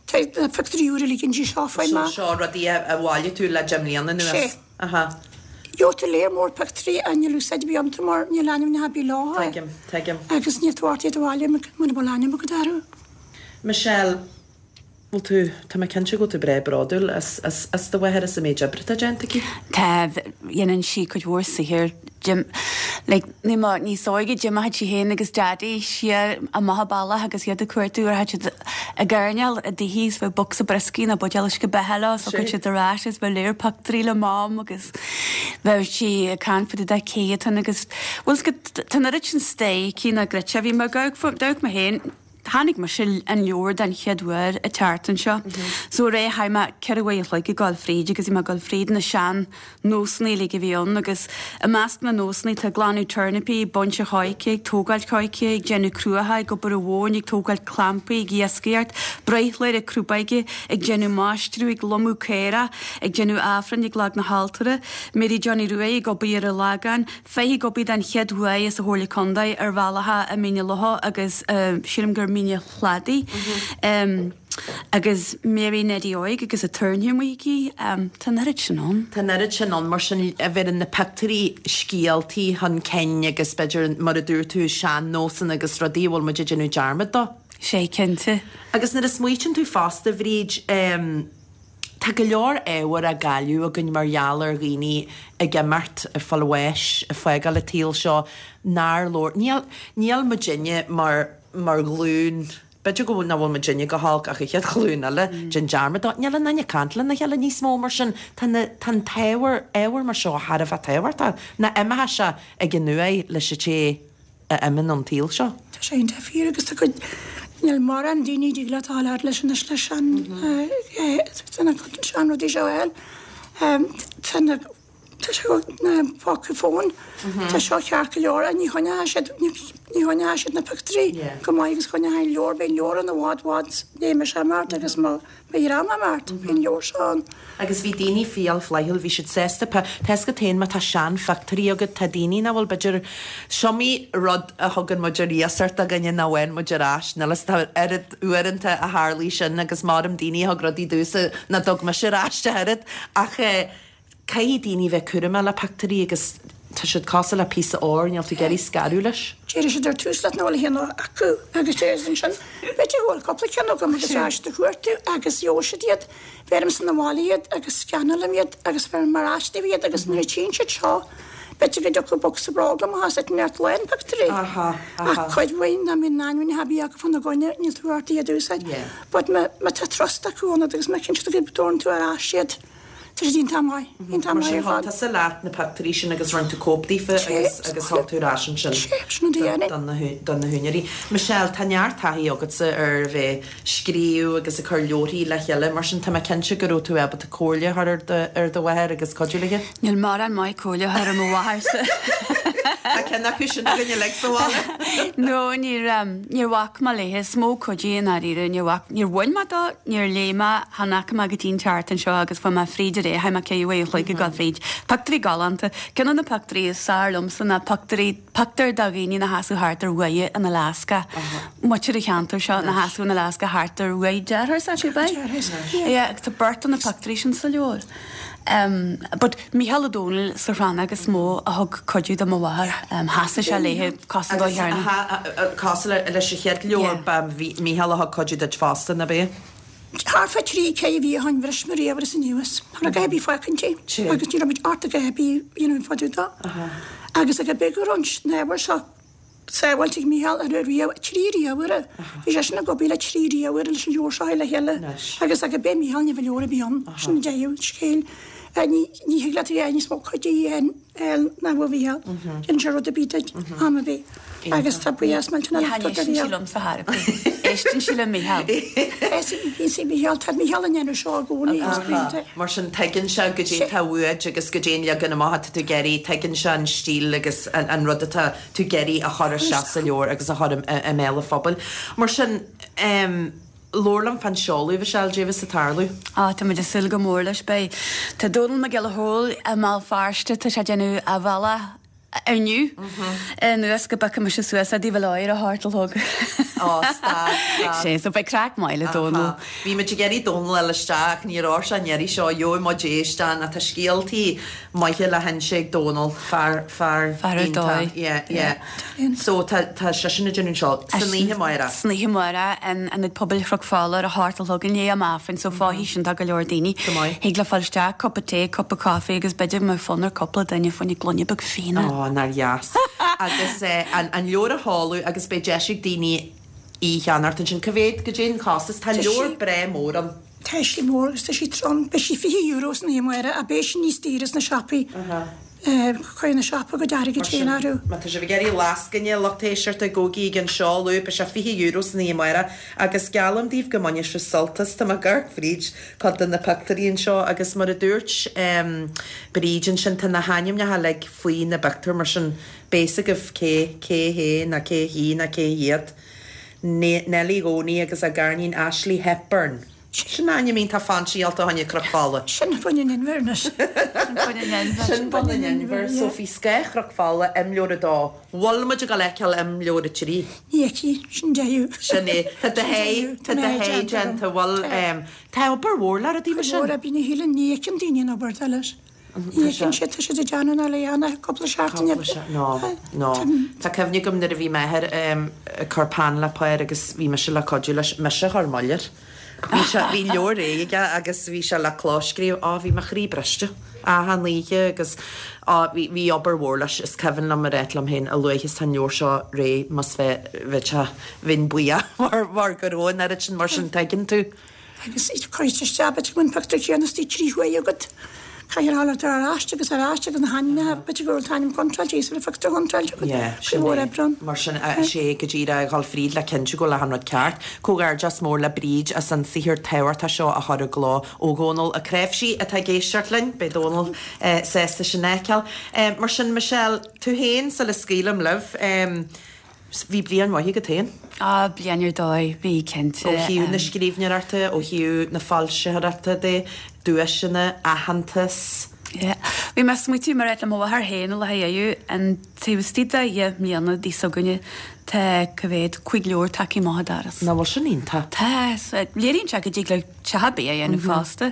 F: tá na pictiúirí úra uilig inti seo faoi
A: So
F: mar.
A: seo rudaí a bhailigh tú le deich mbliana anuas?
F: Sé.
A: Aha.
F: Gheobhaidh tú léar mór pictiúirí a níl úsáid ar bith iontu mar níl ainmneacha ar bith leo.
A: Tuigim, tuigim.
F: Agus níl tú ábalta iad a bhailiú muna bhfuil ainm agat orthu.
A: Michelle, bhfuil tú, tá mé cinnte go bhfuil tú breá bródúil as, as, as do mháthair as an méid oibre atá déanta aici?
E: Tá, dhéanann sí cuid mhór saothair. Jim, like, ní ma, níos óige d'imíodh sí féin agus Daddy siar amach an bealach agus iad ag cuartú ar siad ag airneál i dtithe is bheadh bocsa brioscaí nó buidéal uisce beatha leo so chuir siad ar ais is bheadh léar pictiúirí le Mam agus bheadh sí ag caint faoi dá céadtan agus bhfuil 's agat tá an oiread sin stair aici ná grite bhí mé ag amharc mé féin Tháinig mise an leabhar den chéad uair an tseachtain seo. So ré chaith mé ceithre uair a chloig ag dul fríd agus bhí mé ag dul fríd na sean nósanna uilig a bhí ann agus i measc na nósanna tá glanadh turnapaí, baint an choice, ag tógáil coice, ag déanamh cruacha, ag obair an mhóin, ag tógáil clampaí, ag iascaireacht, breithlá ar crúbóige, ag déanamh maistreadh, ag lomadh caora, ag déanamh aifrinn, ag leag na haltóra, Mary Johnny Ruaidh ag obair ar an Lagán, Feitheamh ag obair den chéad uair sa Chomhairle Contae ar bhealacha i Mín na Locha agus sílim gur Mín an Chladaigh agus Mary Neddie Óig agus a tairne amuigh aici. Tá an oiread sin ann.
A: Tá an oiread sin ann, mar sin a bheireann na pictiúirí scéaltaí chun cinn agus b'fhéidir, mar a dúirt tú, sean-nósanna agus rudaí a bhfuil muid ag déanamh dearmad dó.
E: Sé, cinnte.
A: Agus nuair a smaoitíonn tú fosta, a Bhríd, tá go leor ábhar á gcailleadh againn mar gheall ar dhaoine ag imeacht, ag fáil bháis, ag fágáil an tsaoil seo, nár labhair, níl, níl muidinne mar, mar ghlúin, b'fhéidir go bhfuil, nach bhfuil muidinne go holc ach an chéad ghlúin eile, déan dearmad dó, níl aon duine ag caint lena chéile níos mó mar sin, tá na, tá an t-ábhar, ábhar mar seo thar a bheith tábhachtach, ná imeoidh sé ag an uaigh leis an té a imíonn ón tsaol seo.
F: Tá sé iontach fíor agus tá cuid, níl mórán daoine a dtig leat a fháil leis anois leis an, sean rudaí seo a fháil. Tá na, tá sé na póca fóin, tá seo ceart go leor, ní choinneoidh siad, ní choinneoidh siad na pictiúirí go maith agus choinneoidh an leabhar, beidh an leabhar ann i bhfad, bhfad, léigh mise imeacht agus mo, beidh dream imeacht, beidh an leabhar seo ann.
A: Agus bhí daoine fial flaithiúil, bhí siad sásta, tá 'fhios agat féin má tá seanphictiúirí agat, tá daoine nach bhfuil b'fhéidir, is iomaí rud a thugann muid ar iasacht do dhuine nach bhfaigheann muid ar ais, níl 'fhios tá oiread uaireanta a tharlaigh sin agus maram daoine a thug rudaí domhsa nach dtug mise ar ais ach oiread ach eh, caithfidh daoine bheith cúramach le pictiúirí agus tá siad cosúil le píosa óir, níl tú ag iarraidh scaradh leis.
F: Déarfaidh siad ar tús leat nach bhfuil aon acu agus déarfaidh siad ansin, b'fhéidir go bhfuil cúpla ceann agam agus ar ais do chuartú agus gheobhaidh siad iad, bheirimse na bhaile iad agus scannálaim iad agus bheirim ar ais daoibh iad agus nuair a tchíonn siad seo, b'fhéidir go dtiocfaidh bocsa bróg amach as it neart lán pictiúirí.
A: Aha, aha.
F: Ach cuid mhaith nach mbíonn ainmneacha ar bith acu fána gcoinne, níl tú ort iad a úsáid.
A: Yeah.
F: But má má tá trust acu ionat agus má chíonn siad go dtabharann tú ar ais iad, Tá siad iontach maith, iontach
A: Mar
F: maith
A: sin
F: ar
A: thug
F: fad.
A: tusa leat na pictiúirí sin agus rinne tú cóip daofa
F: Sé,
A: agus agus thug tú ar ais ansin
F: sé, sin an dóigh
A: don na don na húinéirí. Michelle, tá neart taithí agatsa ar bheith scríobh agus ag cur leabharthaí le chéile, mar sin tá mé cinnte go raibh tú ábalta comhairle a chur ar do ar do mháthair agus cuidiú léi.
E: Níl mórán maith comhairle a chur ar mo mháthairsa.
A: Tá ceann acu sin againn uilig sa bhaile.
E: No, níor níor bhac mé léi, is mó cuidiú i ndáiríre, níor bhac, níor bhain mé dó, níor léigh mé, chan fhaca mé go dtí an tseachtain seo agus fuair mé fríd ar é, chaith mé ceithre uair a chloig ag dul fríd. Pictiúirí galánta. Ceann de na pictiúirí is fearr liomsa ná pictiúirí, pictiúr de dhaoine ina sheasamh thart ar uaighe in Alaska. Muintir an cheantair seo ina sheasamh in Alaska thart ar uaigh deartháir s'acu, ab ea?
F: Deartháir,
E: Yeah, agus tá beirt de na pictiúirí sin sa leabhar. Um, but Mícheál Ó Domhnaill sa Chrannóg is mó a thug cuidiú do mo mháthair. Um, sheasaigh sé léi cosúil
A: Agus
E: dó cheana.
A: cosúil leis an chéad leabhar
E: Yeah.
A: ba Mhícheál a thug cuidiú duit fosta, ab ea?
F: Thart fá trí ceithre mhí ó shin bhris mo ríomhaire anuas. Cha raibh a dhath ar bith fágtha inti. Agus ní raibh muid ort a dhath ar bith a dhéanamh fá dtaobh dó. Agus ag an bith go raibh an ábhar seo sábháilte ag Mícheál ar a ríomh, trí ríomhaire. Bhí seisean ag obair le trí ríomhaire leis an leabhar seo a chur le chéile. Agus ag an bith Mícheál ní bheadh leabhar ar bith ann. Sin deireadh an scéil. Ní thig leat a dhéanamh níos mó cuid a dhéanamh ná a Mhícheál. Déanann sé rud ar bith duit, am ar bith. Agus tá buíochas millteanach le tabhairt do Mhícheál. Ní
E: éisteann sí liomsa thar ar bith. Éisteann sí le Mícheál.
F: Éisteann Mícheál, tá Mícheál ag déanamh seo i gcónaí agus blianta.
A: Mar sin tuigeann sé goidé atá uait agus goidé an leagan amach atá tú ag iarraidh, tuigeann sé an stíl agus an rud atá tú ag iarraidh a chur isteach sa leabhar agus a chur i mbéal an phobail. Mar sin, Labhair liom fán seoladh, a Mhichelle, goidé a bheas ag tarlú.
E: Á, tá muid ag súil go mór leis. Beidh, tá Dónall Mac Giolla Chóill i mBéal Feirste, tá sé ag déanamh a bhealach inniu anuas go bpiocfaidh mise suas é i dTaobh an Láir ar a hocht a chlog.
A: Á, stad, stad.
E: Sé, so beidh craic maith le Dónall.
A: Bhí muid ag iarraidh Dónall a fháil isteach ach ní raibh sé an iarraidh seo, gheobhaidh muid é isteach nó tá scéaltaí maithe le hinse ag Dónall, fear, fear
E: Fear ar
A: iontach.
E: dóigh.
A: Yeah, yeah. So tá, tá seisean ag déanamh an seoladh san oíche amárach.
E: San oíche amárach in Ionad Pobail Chnoc Fola ar a hocht a chlog i ndiaidh am Aifrinn so fágfaidh sin do go leor daoine.
A: Go maith.
E: Thig leo fáil isteach, cupa tae, cupa caife agus b'fhéidir go mbeadh fonn ar cúpla duine fá choinne gloine beag fíona.
A: Ó, nár dheas. Agus eh, an, an leabhar a sheoladh agus beidh deis ag daoine í a cheannacht ansin. Cá mhéad, goidé an costas? Tá
F: Tá
A: leabhar
F: sí.
A: breá mór ann.
F: Tá sí mór agus tá sí trom. Beidh sí fiche euro san oíche amárach ach beidh sí níos daoire sna siopaí. Cuirfidh na siopaí a gcuid airgid féin orthu.
A: Má tá sibh ag iarraidh lascaine, lucht éisteachta, gabhaigí ag an seoladh, beidh sé fiche euro san oíche amárach agus geallaim daoibh go mbainfidh sibh sult as. Tá mé ag amharc fríd cuid de na pictiúirí anseo agus mar a dúirt Bríd ansin, tá na hainmneacha uilig faoi na bpictiúir mar sin beidh fhios agaibh cé cé hé ná cé hí ná cé hiad. Neilí Dhónaí agus a garníon Ashley Hepburn. Sin ainm iontach fainsíálta fá choinne Cnoc Fola.
F: Sin Bun an Inbhir anois.
E: Sin Bun an Inbhir.
A: Sin Bun an Inbhir. So Faoi Scáth Chnoc Fola, imleabhar a dó. Bhfuil muid ag dul a fheiceáil imleabhar a trí?
F: Ní fheicfidh, sin deireadh.
A: Sin é. Tá do thaithí, tá do thaithí déanta. Bhfuil, tá obair mhór le rudaí mar sin.
F: Obair mhór, bíonn a thuilleadh, ní fheiceann daoine an obair atá leis. Ní fheiceann siad, tá siad ag déanamh na léana cúpla seachtain
A: Cúpla seachtain, no, no. Tá cuimhne agam nuair a bhí m'athair ag cur peann le pár agus bhí mise le cuidiú leis, mise a chuir moill air. Bhí sé, bhí leabhar réidh aige agus bhí sé le clóscríobh, á bhí mo chroí briste achan oíche agus á bhí, bhí obair mhór leis, is cuimhin liom a ráit liom féin a luaithe is tá an leabhar seo réidh más bheith, bheadh sé, bheinn buíoch mar, mar go raibh an oiread sin mar sin tuigeann tú.
F: Agus cuirtear isteach b'fhéidir go bhfuil an pictiúr céanna istigh trí huaire agat. Caithfidh a fháil ar ais agus ar ais agus na hainmneacha, b'fhéidir go bhfuil an t-ainm contráilte agus an phictiúr contráilte agat.
A: Yeah,
F: Cuid
A: sin
F: mhór
A: é.
F: oibre ann.
A: Mar sin, is é go díreach a dhul fríd le cinntiú go bhfuil achan rud ceart. Comhghairdeas mór le Bríd as an saothar tábhachtach seo a chur i gcló ó Dhónal Ó Cnáimhsí atá ag éisteacht linn. Beidh Dónal sásta sin a fheiceáil. Mar sin, Michelle, tú féin sula scaoilim libh, Bhí bliain mhaith agat féin.
E: Á, bliain ar dóigh, bhí, cinnte.
A: Ó thaobh na scríbhneoireachta, ó thaobh na foilsitheoireachta de, duaiseanna, aitheantas.
E: Yeah. Bhí mé ag smaoitiú mar le mo mháthair féin a lá inniu, an taobh istigh de dheich mbliana d'aois s'againne, tá, cá mhéad, cúig leabhar tagtha amach an doras.
A: Nach bhfuil sin iontach?
E: Tá, léiríonn sé go dtig le teach ar bith a dhéanamh fosta.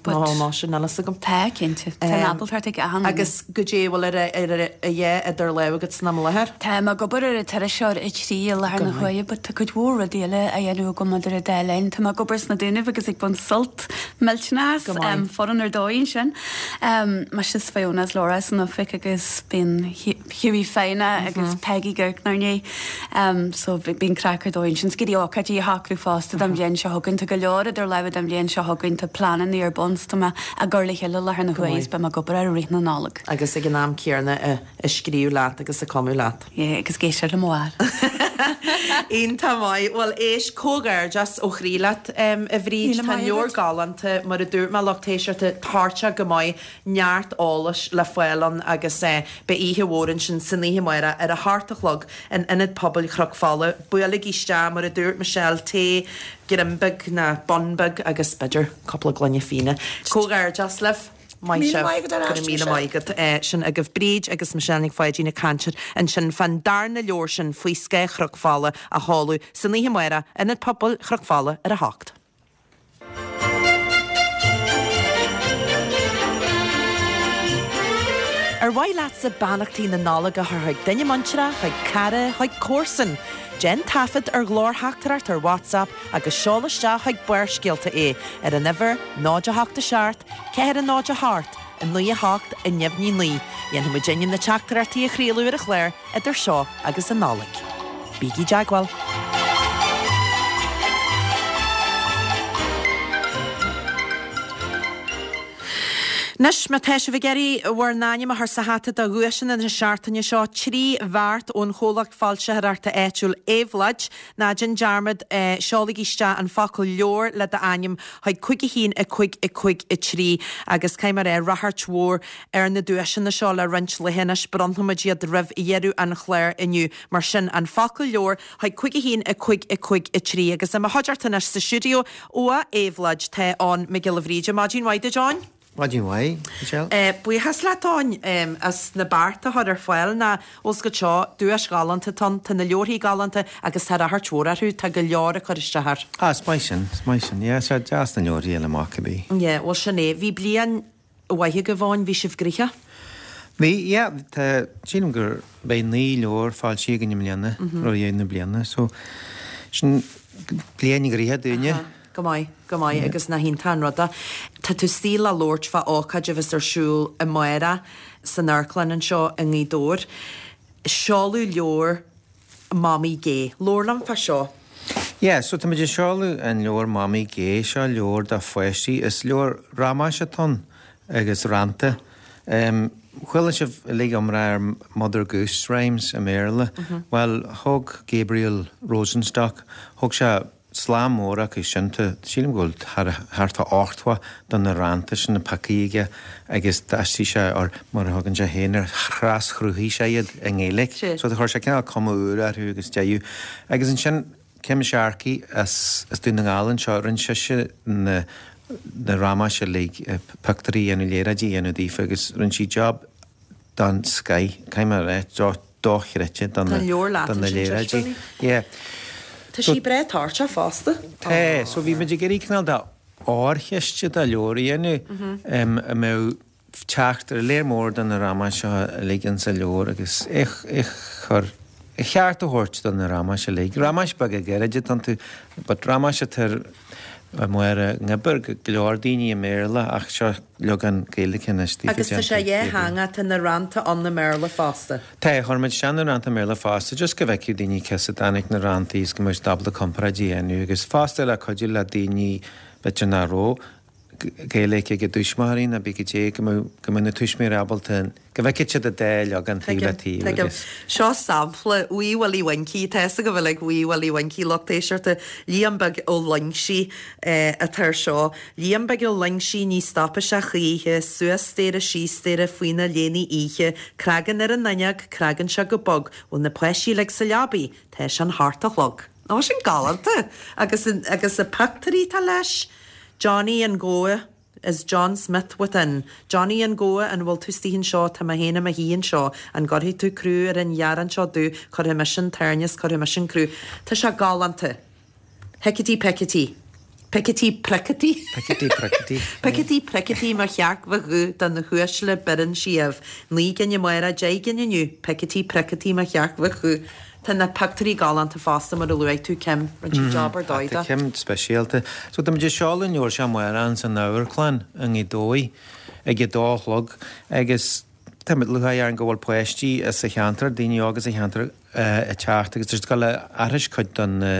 E: But.
A: Ná, ná, sin níl a fhios agam.
E: Tá, cinnte. Tá an ábaltacht ag achan duine.
A: Agus goidé a bhfuil ar a a idir lámha agat san am i láthair?
E: Tá mé ag obair ar an t-iriseoir a trí i láthair na huaire but tá cuid mhór rudaí eile á dhéanamh agam idir an dá linn. Tá mé ag obair sna Dúnaibh agus ag baint sult millteanach as.
A: Go maith.
E: Foireann ar dóigh ansin. Mise is Fiona is Laura san oifig agus bíonn Hughie Foighneach agus Peggy Girk 'nár ndiaidh. So bíonn craic ar dóigh ansin. 'S ag iarraidh ócáidí a shocrú fosta don bhliain seo chugainn. Tá go leor idir lámha don bhliain seo chugainn. Tá pleananna ar bun 's tá mé á gcur le chéile i láthair na huaire is beidh mé ag obair air i rith na Nollag.
A: Agus ag an am céanna ag scríobh leat agus ag cumadh leat.
E: Yeah, agus ag éisteacht le mo mháthair.
A: Iontach maith. Bhuel, éist, comhghairdeas ó chroí leat, a Bhríd.
F: Míle
A: Tá an
F: maith
A: leabhar
F: agat.
A: galánta, mar a dúirt mé, lucht éisteachta, toirteach go maith, neart eolais le fáil ann agus beidh oíche mhór ansin san oíche amárach ar a hocht a chlog in Ionad Pobail Chnoc Fola. Buailigí isteach, mar a dúirt Michelle, tae, greim beag ná bun beag agus b'fhéidir cúpla gloine fíona. Comhghairdeas libh. Maith
F: Míle
A: sibh.
F: maith agat ar
A: Go
F: ais,
A: raibh míle
F: Michelle.
A: maith agat. Sin agaibh Bríd agus Michelle Nic Pháidín ag caint ansin fán darna leabhar sin Faoi Scáth Chnoc Fola á sheoladh san oíche amárach, Ionad Pobail Chnoc Fola ar a hocht. Ar Ar mhaith leatsa beannachtaí na Nollag a chur chuig duine muinteartha, chuig cara, chuig comharsan? Déan taifead ar ghlórtheachtaireacht ar WhatsApp agus seol isteach chuig Barrscéalta é ar an uimhir náid a hocht a seacht, ceathair a náid a hocht, a naoi a hocht, a neamhní naoi. Dhéanfaidh muid ainm na teachtaireachtaí a chraoladh ar an chlár idir seo agus an Nollaig. Bígí i dteagmháil! Anois, má tá sibh ag iarraidh bhur n-ainm a chur sa hata do dhuaiseanna na seachtaine seo, trí bheart ón chomhlacht foilsitheoireachta áitiúil Éabhlóid, ná déan dearmad, seolaigí isteach an focal 'leabhar' le d'ainm chuig cúig a haon a cúig a cúig a trí agus caithfidh mé a rá, ráchairt mhór ar na duaiseanna seo le roinnt laetha anois, bronnfaidh muid iad roimh dheireadh an chláir inniu. Mar sin, an focal 'leabhar' chuig cúig a haon a cúig a cúig a trí agus i mo chuideachta anois sa stiúideo ó Éabhlóid tá Eoin Mac Giolla Bhríde. Maidin mhaith duit, Eoin.
G: Maidin mhaith, Michelle.
A: Buíochas leat, Eoin, as na bearta a chur ar fáil. Ná bhfuil 's agat seo, duais ghalánta atá ann, tá na leabharthaí galánta agus tá ráchairt mhór orthu, tá go leor ag cur isteach air.
G: Ah, is maith sin, is maith sin. Yeah, tá sé deas na leabharthaí a fháil amach cibé.
A: Yeah, bhuel sin é. Bhí bliain mhaith agaibh, Eoin, bhí sibh gnoitheach?
G: Bhí, yeah, tá, sílim gur beidh naoi leabhar foilsithe againn i mbliana, roimh dheireadh na bliana, so sin bliain ghnoitheach dúinne.
A: Aha. Go maith, go maith agus nach iontach an rud é. Tá tú istigh le labhairt fá ócáid a bheas ar siúl amárach san amharclann anseo i nGaoth Dobhair. Seoladh leabhar Mamaí Gé. Labhair liom fá seo.
G: Yeah, so tá muid ag seoladh an leabhar Mamaí Gé. Seo leabhar do pháistí. Is leabhar ramáis atá ann agus rannta. Um, chuala sibh uilig iomrá ar Mother Goose Rhymes i mBéarla. Bhuel, thóg Gabriel Rosenstock, thóg sé slám mór acu sin, tá, sílim go bhfuil thart ar ochtó de na rannta sin pioctha aige agus d'aistrigh sé, or mar a thugann sé féin air, thraschruthaigh sé iad i nGaeilge. So chuir sé cineál cuma úr orthu agus deireadh. Agus ansin Kim Sharkey as as Dún na nGall anseo, rinne sise na na ramáis uilig, pictiúirí a dhéanamh, léaráidí a dhéanamh daofa agus rinne sí job den scoith, caithfidh mé a rá, dochreidte do na
A: Tá leabhar leat
G: do na
A: ansin,
G: léaráidí.
A: Joshua.
G: Yeah.
A: Tá sí breá toirteach fosta.
G: Tá, so bhí muid ag iarraidh cineál de órchiste de leabhar a dhéanamh a mbeadh teacht ar léar mór de na ramáis seo uilig insa leabhar agus é é chur a cheart a thabhairt do na ramáis uilig. Ramáis beaga gairide atá iontu, but ramáis atá ar Mháire nGoibear go leor daoine i mBéarla ach seo leagan Gaeilge anois daofa
A: Agus tá sé
G: déanta
A: dhá theanga, tá na rannta ann i mBéarla fosta.
G: Tá, chuir muid isteach na rannta i mBéarla fosta just go bhfeicfeadh daoine cé as a dtáinig na ranntaí is go mbeadh siad ábalta comparáid a dhéanamh agus fosta le cuidiú le daoine b'fhéidir nach raibh Gaeilge ag a dtuismitheoirí nó b'fhéidir goidé go mbeadh go mbeadh na tuismitheoirí ábalta go bhfeicfeadh siad an dá leagan taobh le
A: Tuigim,
G: taobh
A: tuigim.
G: agus.
A: Seo sampla, Wee Willie Winkie, tá fhios agaibh uilig Wee Willie Winkie, lucht éisteachta, Liam Beag Ó Loingsigh atá ar seo. Liam Beag Ó Loingsigh ní stopfaidh sé choíche, suas staighre síos staighre faoina léine oíche, cnagann ar an fhuinneog, cnagann sé go bog, bhfuil na páistí uilig sa leabaidh, tá sé an hocht a chlog. Ó, sin galánta! Agus an, agus na pictiúirí atá leis, Johnny an Gabha, is John Smith within. Johnny an Gabha, an bhfuil tú istigh anseo, tá mé féin i mo shuí anseo, an gcuirfidh tú crú ar an ghearrán seo domh, cuirfidh mise an tairne is cuirfidh mise an crú. Tá sé galánta. Hicití picití. Picití pricití.
G: Picití pricití.
A: Picití pricití mo chearc mhaith dhubh do na huaisle beireann sí ubh. Naoi gcinn amárach, deich gcinn inniu. Picití pricití mo chearc mhaith dhubh. Tá na pictiúirí galánta fosta mar a luaigh tú Kim. Rinne sí job ar dóigh
G: Tá
A: de.
G: Kim speisialta. So tá muid ag seoladh an leabhar seo amárach ins an amharclann i nGaoth Dobhair ag a dó a chlog agus tá muid lúcháir orainn go bhfuil páistí as an cheantar, daoine óga sa cheantar ag teacht agus tá siad ag dul a aithris cuid de na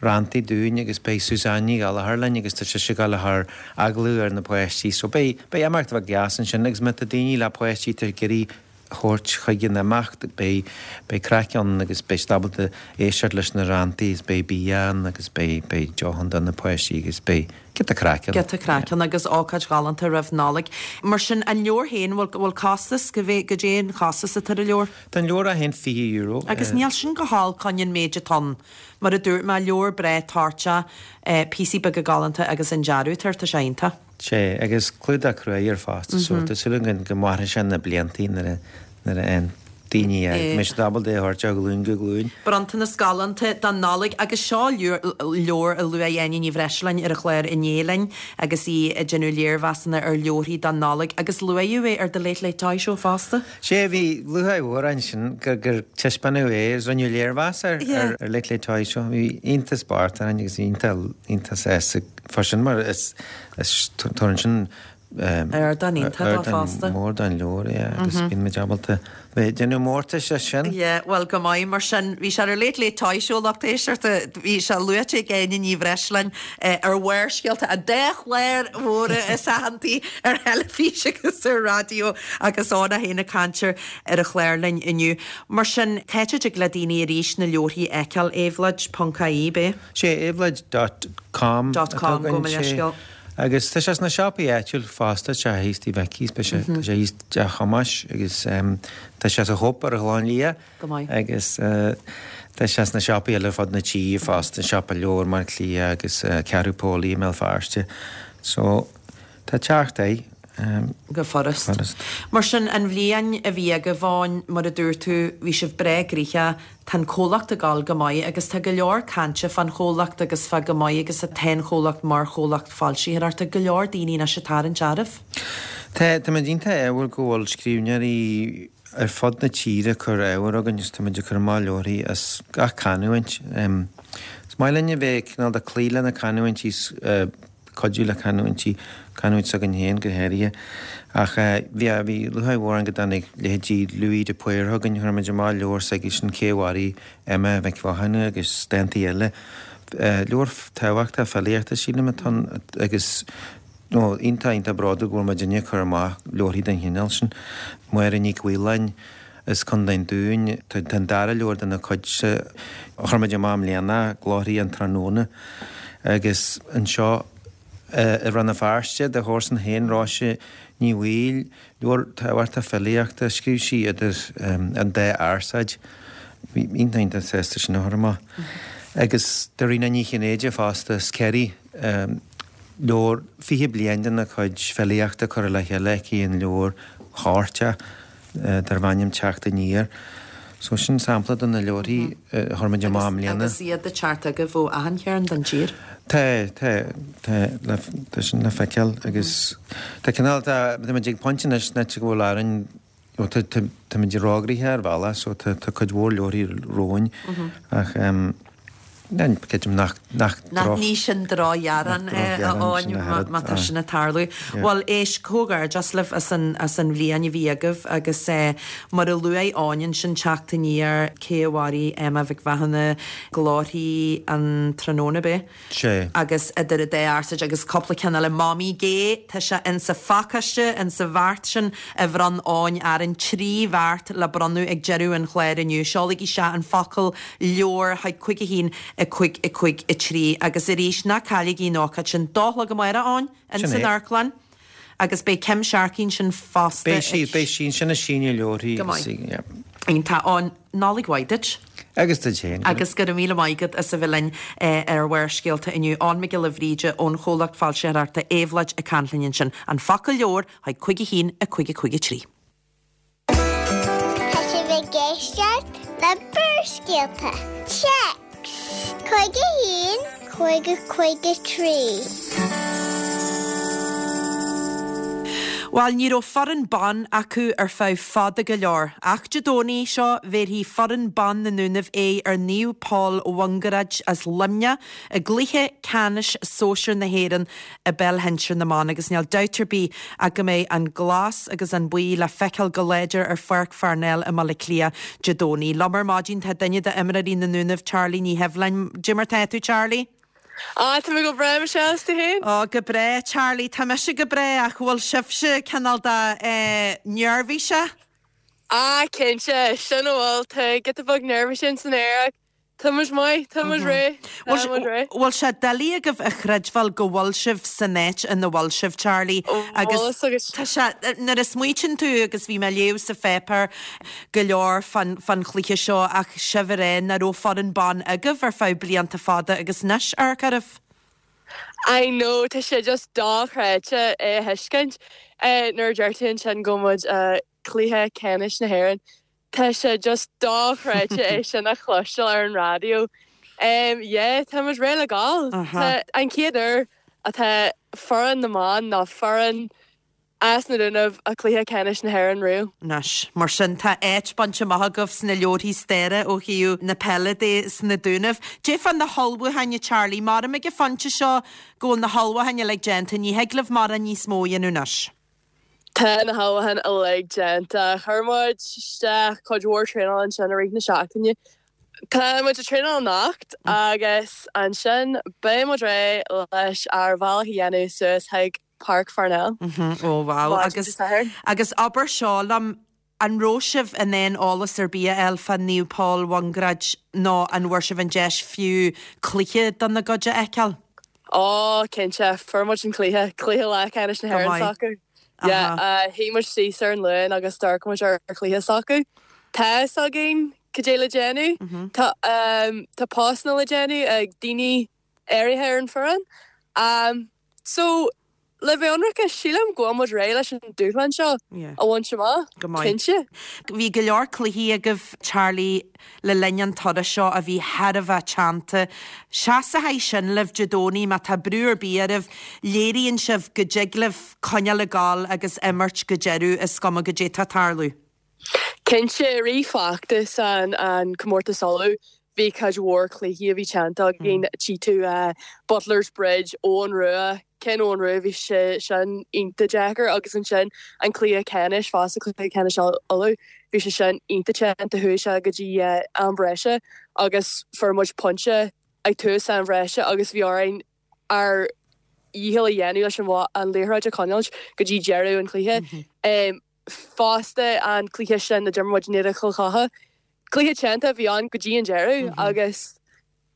G: ranntaí dúinn agus beidh Suzanne Ní Ghallchóir linn agus tá sise ag dul a chur agallamh ar na páistí so beidh beidh imeacht bheag deas ansin agus má tá daoine le páistí atá ag iarraidh thabhairt chuig an imeacht beidh beidh craic ann agus beidh siad ábalta éisteacht leis na ranntaí is beidh bia ann agus beidh beidh deoch ann do na páistí agus beidh giota craic ann.
A: Giota craic ann agus ócáid ghalánta roimh Nollaig. Mar sin an leabhar féin, bhfuil bhfuil costas go bhfé goidé an costas atá ar an leabhar?
G: Tá an leabhar é féin fiche euro.
A: Agus níl sin go holc chun an méid atá ann. Mar a dúirt mé, leabhar breá toirteach, píosaí beaga galánta agus an dearadh atá air, tá sé iontach.
G: Sé, agus clúdach cruaidh air fosta, so tá súil againn go mairfidh sé na bliantaí nuair a nuair a fhaigheann daoine é, go mbeidh siad ábalta é a thabhairt ó ghlúin go glúin.
A: Bronntanas galánta don Nollaig agus seo leabhar a luaigh Áine Ní Bhreisleáin ar an chlár inné linn agus í ag déanamh léirmheasanna ar leabharthaí don Nollaig agus luaíodh é ar The Late Late Toy Show fosta.
G: Sea, bhí lúcháir mhór ansin gur gur taispeánadh é agus rinneadh léirmheas air ar ar Late Late Toy Show. Bhí iontas bocht orainn agus bhí iontach iontach sásta fá sin mar is is tugann sin
A: Ardán iontach dó fosta.
G: Ardán mór don leabhar, yeah, agus bíonn muid ábalta bheith ag déanamh mórtais as sin.
A: Yeah, bhuel go maith mar sin. Bhí sé ar Late Late Toy Show lucht éisteachta, bhí sé luaite ag Áine Ní Bhreisleáin ar Bharrscéalta, an dá chlár mhóra is aitheantaí ar theilifís agus ar raidió agus Eoin é féin ag caint ar an chlár linn inniu. Mar sin, cá háit a dtig le daoine arís na leabharthaí a fheiceáil, éabhloid ponc ie, b'é?
G: Sé éabhloid dot com
A: Dot com, gabh mo leithscéal.
G: Agus tá sé sna siopaí áitiúil fosta, tá sé thíos Tigh Mhicí's, beidh sé, tá sé thíos Teach Thomáis agus tá sé sa Chóip ar an Chlochán Liath.
A: Go maith.
G: Agus tá sé sna siopaí eile ar fud na tíre fosta, an Siopa Leabhar i mBaile Átha Cliath agus Ceathrú Póilí i mBéal Feirste. So, tá teacht air.
A: Go furast. Mar sin, an bhliain a bhí agaibh Eoin, mar a dúirt tú, bhí sibh breá gnoitheach, tá an comhlacht ag dul go maith agus tá go leor cainte fán chomhlacht agus fá go maith agus atá an chomhlacht mar chomhlacht foilsitheoireachta, go leor daoine anois ag tarraingt oraibh.
G: Tá, tá muid iontach ádhúil go bhfuil scríbhneoirí ar fud na tíre ag cur ábhair chugainn agus tá muid ag cur amach leabharthaí as gach canúint. Is maith linn a bheith cineál de cloí le na canúintí cuidiú le canúintí, canúint s'againn féin go háirithe. Ach bhí, bhí lúcháir mhór orainn go dtáinig leithéidí Louis de Paor chugainn, chuir muid amach leabhar s'aigesean Cé a Mharaigh Emma Mhic Mhathúna agus dántaí eile. Leabhar tábhachtach filíochta sílim atá ann agus nó iontach, iontach bródúil go bhfuil muidinne ag cur amach leabharthaí den chineál sin. Máire Nic Mhaoláin as Contae an Dúin, tá an dara leabhar dena cuidse a chuir muid amach i mbliana, Glórthaí an Tráthnóna agus anseo i Rann na Feirste, do chomharsan féin, Róise Ní Bhaoill, leabhar tábhachtach filíochta, scríobh sí idir an dá fhearsaid. Bhí iontach iontach sásta sin a chur amach. Agus Dairena Ní Chinnéide fosta, as Ciarraí, leabhar fiche bliain dena cuid filíochta curtha le chéile aici in leabhar chuairteach. darb ainm Teacht Aniar. So sin sampla de na leabharthaí a chuir muid amach i mbliana.
A: Agus iad ag teacht agaibh ó achan chearn den tír?
G: Tá, tá, tá, le, tá sin le feiceáil agus tá cineál, tá, tá muid ag pointe anois an áit go bhfuil orainn, ó tá, tá, tá muid róghnoitheach ar bhealach so tá, tá cuid mhór leabharthaí romhainn ach em, Creidim nach
A: Nach ní sin drochghearán é, a Eoin, má tá sin ag tarlú. Bhuel, éist, comhghairdeas libh as an as an bhliain a bhí agaibh agus mar a luaigh Eoin ansin, Teacht Aniar, Cé a Mharaigh Emma Mhic Mhathúna, Glórthaí an Tráthnóna, ab é?
G: Sea.
A: Agus Idir an Dá Fhearsaid agus cúpla ceann eile, Mamaí Gé, tá sé insa phacáiste, insa bheart sin a bhronn Eoin orainn, trí bheart le bronnadh ag deireadh an chláir inniu. Seolaigí isteach an focal leabhar chuig cúig a haon, a cúig, a cúig, a trí agus arís ná cailligí an ócáid sin. Dó a chlog amárach, Eoin,
G: Sin
A: ins an
G: é.
A: amharclann agus beidh Kim Sharkey ansin fosta
G: Beidh sí,
A: ag.
G: beidh sí ansin ag síniú leabharthaí
A: Go
G: agus
A: maith.
G: yeah.
A: Iontach, Eoin, Nollaig mhaith duit.
G: Agus duit féin.
A: Agus go raibh míle maith agat as a bheith linn ar Bharrscéalta inniu. Eoin Mac Giolla Bhríde ón chomhlacht foilsitheoireachta Éabhlóid ag caint linn ansin. An focal leabhar chuig cúig a haon, a cúig, a cúig, a trí.
D: Tá sibh ag éisteacht le Barrscéalta. Téacs cúig a haon, cúig a cúig a trí.
A: Bhuel, ní raibh foireann ban acu ar feadh fada go leor, ach Dé Domhnaigh seo bhéarfaidh foireann ban na nDúnaibh aghaidh ar Naomh Pól Mhungaráid as Luimneach i gcluiche ceannais sóisir na hÉireann i bpeil shinsir na mban agus níl dabht ar bith ach go mbeidh an glas agus an buí le feiceáil go láidir ar Pháirc Pharnell i mBaile Átha Cliath Dé Domhnaigh. Liom ar maidin tá duine d'imreoirí na nDúnaibh, Charlie Ní Sheibhleáin. Dé mar tá tú, Charlie?
H: Á, tá mé go breá, Michelle, is tú féin?
A: Á, go breá, Charlie. Tá mise go breá ach bhfuil sibhse cineál de eh, neirbhíseach?
H: Á, cinnte, sin a bhfuil, tá giota beag neirbhíse in san aer ach Tá muid maith, tá muid réidh, tá muid réidh.
A: Bhfuil sé doiligh agaibh a chreidbheáil go bhfuil sibh san áit ina bhfuil sibh, Charlie, agus tá sé, nuair a smaoitíonn tú, agus bhí mé ag léamh sa pháipéar go leor fán, fán chluiche seo ach sibh ag rá nach raibh foireann ban agaibh ar feadh blianta fada agus anois, amharc oraibh.
H: I know, tá sé just dochreidte é a thuiscint nuair a deir tú ansin go bhfuil muid i gcluiche ceannais na hÉireann. Tá sé just dochreidte é sin a chloisteáil ar an raidió. Um, yeah, tá muid réidh le gabháil. Tá an chéad uair atá foireann na mban ná foireann as na Dúnaibh i gcluiche ceannais na hÉireann riamh.
A: Anois, mar sin tá áit bainte amach agaibh sna leabharthaí staire ó thaobh na peile de sna Dúnaibh. Dé fá na hullmhúcháin a Charlie, maram ag an phointe seo go bhfuil na hullmhúcháin uilig déanta, ní thig libh mórán níos mó a dhéanamh anois.
H: Tá na hullmhúcháin uilig déanta. Chuir muid isteach cuid mhór traenáil ansin i rith na seachtaine. Tá muid ag traenáil anocht agus ansin beidh muid réidh leis ár bhealach a dhéanamh suas chuig Páirc Pharnell.
A: Ó wow agus agus abair seo liom an raibh sibh in ann eolas ar bith a fháil fá Naomh Pól Mhungraid nó an bhfuair sibh an deis fiú cluiche dona gcuid a fheiceáil?
H: Ó cinnte, fuair muid an cluiche, cluiche leathcheannais na
A: Go
H: hÉireann
A: maith.
H: s'acu. Yeah,
A: Aha.
H: uh, shuigh muid síos ar an Luan agus d'amharc muid ar ar chluiche s'acu. Tá fhios againn cad é le déanamh. Tá um, tá postanna le déanamh ag daoine áirithe ar an foireann. Um, so le bheith ionraice sílim go bhfuil muid réidh leis an dúshlán seo
A: Yeah.
H: a bhaint amach.
A: Go maith.
H: Cinnte.
A: Bhí go leor cluichí agaibh Charlie le linn an turais seo a bhí thar a bheith teannta. Seasfaidh sin libh Dé Domhnaigh má tá brú ar bith oraibh, léiríonn sibh go dtig libh coinneáil ag gabháil agus imirt go deireadh is cuma goidé atá ag tarlú.
H: Cinnte i rith feachtas an an comórtas Uladh bhí cuid mhór cluichí a bhí teannta againn tí tú uh, Butler's Bridge Eoghan Rua cin Eoghan Rua bhí sé sin iontach deacair agus ansin an cluiche ceannais fosta cluiche ceannais Uladh bhí sé sin iontach teannta chuaigh sé go dtí uh, am breise agus fuair muid pointe ag tús am bhreise agus bhí orainn ár ndícheall a dhéanamh leis an bha- an liathróid a choinneáil go dtí deireadh an chluiche. Um, fosta an cluiche sin a d'imir muid in éadan Chill Chartha. Cluiche teannta bhí an go dtí an deireadh agus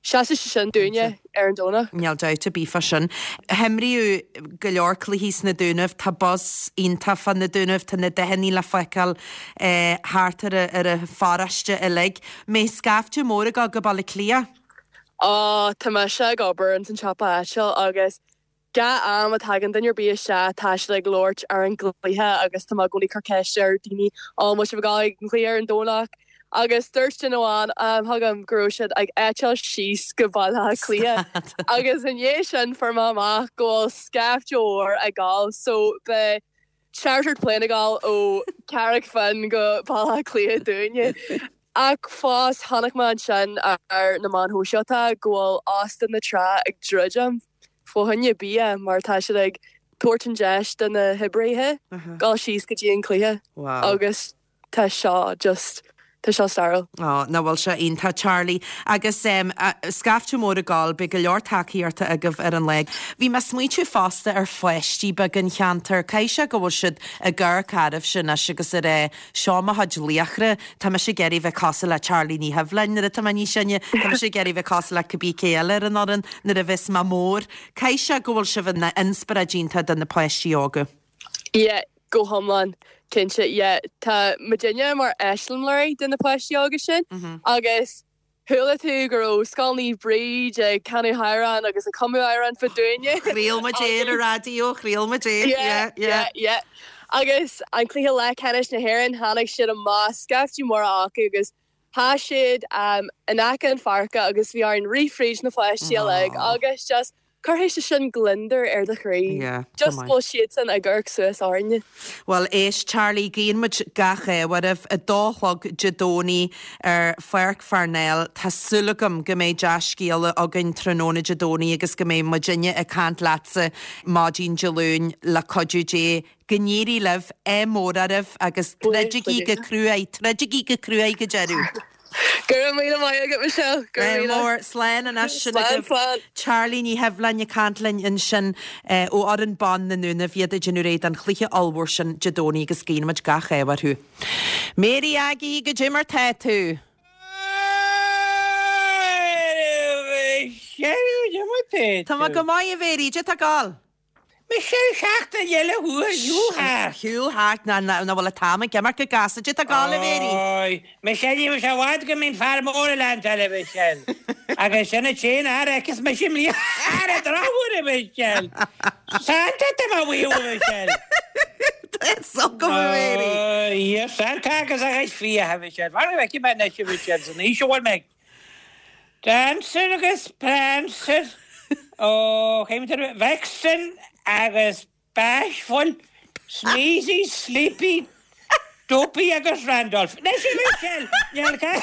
H: seasfaidh sé sin dúinne ar an Domhnach.
A: Níl dabht ar bith fá sin. Himríodh go leor cluichí sna Dúnaibh, tá buzz iontach fá na Dúnaibh, tá na dathanna le feiceáil eh, thart ar a, ar a pharóiste uilig. Mé scaifte mór go go Baile Átha Cliath.
H: Á tá mise ag obair in san siopa áitiúil agus gach am a thagann duine ar bith isteach tá siad ag labhairt ar an gcluiche agus tá mé i gcónaí ag cur ceist ar daoine á bhfuil sibh ag gabháil ag an chluiche ar an Domhnach agus dúirt duine amháin um, thugam go raibh siad ag eitilt síos go Baile Átha Cliath agus i ndiaidh sin fuair mé amach go bhfuil scaifte mór ag gabháil so beidh chartered plane ag gabháil ó Carraig Finn go Baile Átha Cliath dúinne. Ach fós chonaic mé ansin ar na meáin shóisialta go bhfuil Óstán na Trá ag druidim fá choinne bia mar tá siad ag tabhairt an deis do na hoibrithe dul síos go dtí an cluiche
A: Wow.
H: agus tá seo just tá seo stairiúil.
A: Ó, ná bhfuil sé iontach Charlie agus um, scaifte mór ag gabháil beidh go leor tacaíochta agaibh ar an lá. Bhí mé smaointiú fosta ar pháistí beaga an cheantair, Caithfidh sé go bhfuil siad ag amharc oraibhse anois agus ar é seo mo chuid laochra, Tá mise ag iarraidh bheith cosúil le Charlie Ní Hibhleáin nuair atá mé níos sine, Tá mise ag iarraidh bheith cosúil le cibé cé eile ar an fhoireann nuair a bheas mé mór. Caithfidh sé go bhfuil sibh ina inspioráid iontach do na páistí óga.
H: Yeah, go hiomlán cinnte yeah, tá muidinne mar eiseamláirí do na páistí óga sin agus chuala tú go raibh Scoil Naomh Bríd ag canadh amhrán agus ag cumadh amhrán fá dúinne.
A: Chraol muid é ar an raidió, chraol muid é.
H: Yeah, yeah, yeah. Agus an cluiche leathcheannais na hÉireann tháinig siad amach scaifte mór acu agus Tá siad um, in aice an pháirce agus bhí orainn rith fríd na páistí uilig agus just cuirfidh sé sin gliondar ar do chroí.
A: Yeah,
H: Just
A: go maith.
H: bhfuil siad san ag amharc suas orainne.
A: Well éist Charlie guíonn muid gach ádh oraibh a dó a chlog Dé Domhnaigh ar Pháirc Pharnell Tá súil agam go mbeidh dea-scéala againn tráthnóna Dé Domhnaigh agus go mbeidh muidinne ag caint leatsa maidin Dé Luain le cuidiú Dé go n-éirí libh ádh mór oraibh agus troidigí go cruaidh, troidigí go cruaidh go deireadh.
H: Go raibh míle maith agat Michelle. Go raibh míle.
A: mór slán anois sin
H: Slán,
A: agaibh.
H: slán.
A: Charlie Ní Hibhleáin ag caint linn ansin eh, ó fhoireann ban na nDúnaibh iad ag déanamh réidh don chluiche ollmhór sin Dé Domhnaigh agus guíonn muid gach ádh orthu. Mary Aggie goidé mar tá tú. Tá mé go maith a Mhary, Dé tá gáil.
I: Michelle seachtain eile thuair shiúil
A: Shiúil thart na na bhfuil an t-am ag imeacht go gasta Dé tá gáil a Mhary.
I: Oi, Michelle bhí sé bhd go mín fear mór lean eile Michelle. Agus sinna tséin ar agus me sin lí ar droúr Michelle. Santa ma bhí Michelle.
A: Tá 's agam, a Mhéirí.
I: Yes, Santa agus a chuid fiach, a Mhichelle. Mar a bhfeicfidh mé anois, a Mhichelle, san aois a bhfuil mé. Dancer agus Prancer, ó, chéim Vixen agus Bashful, Sneezy, Sleepy, Dopey agus Randolph. Anois, a Mhichelle, níl ca-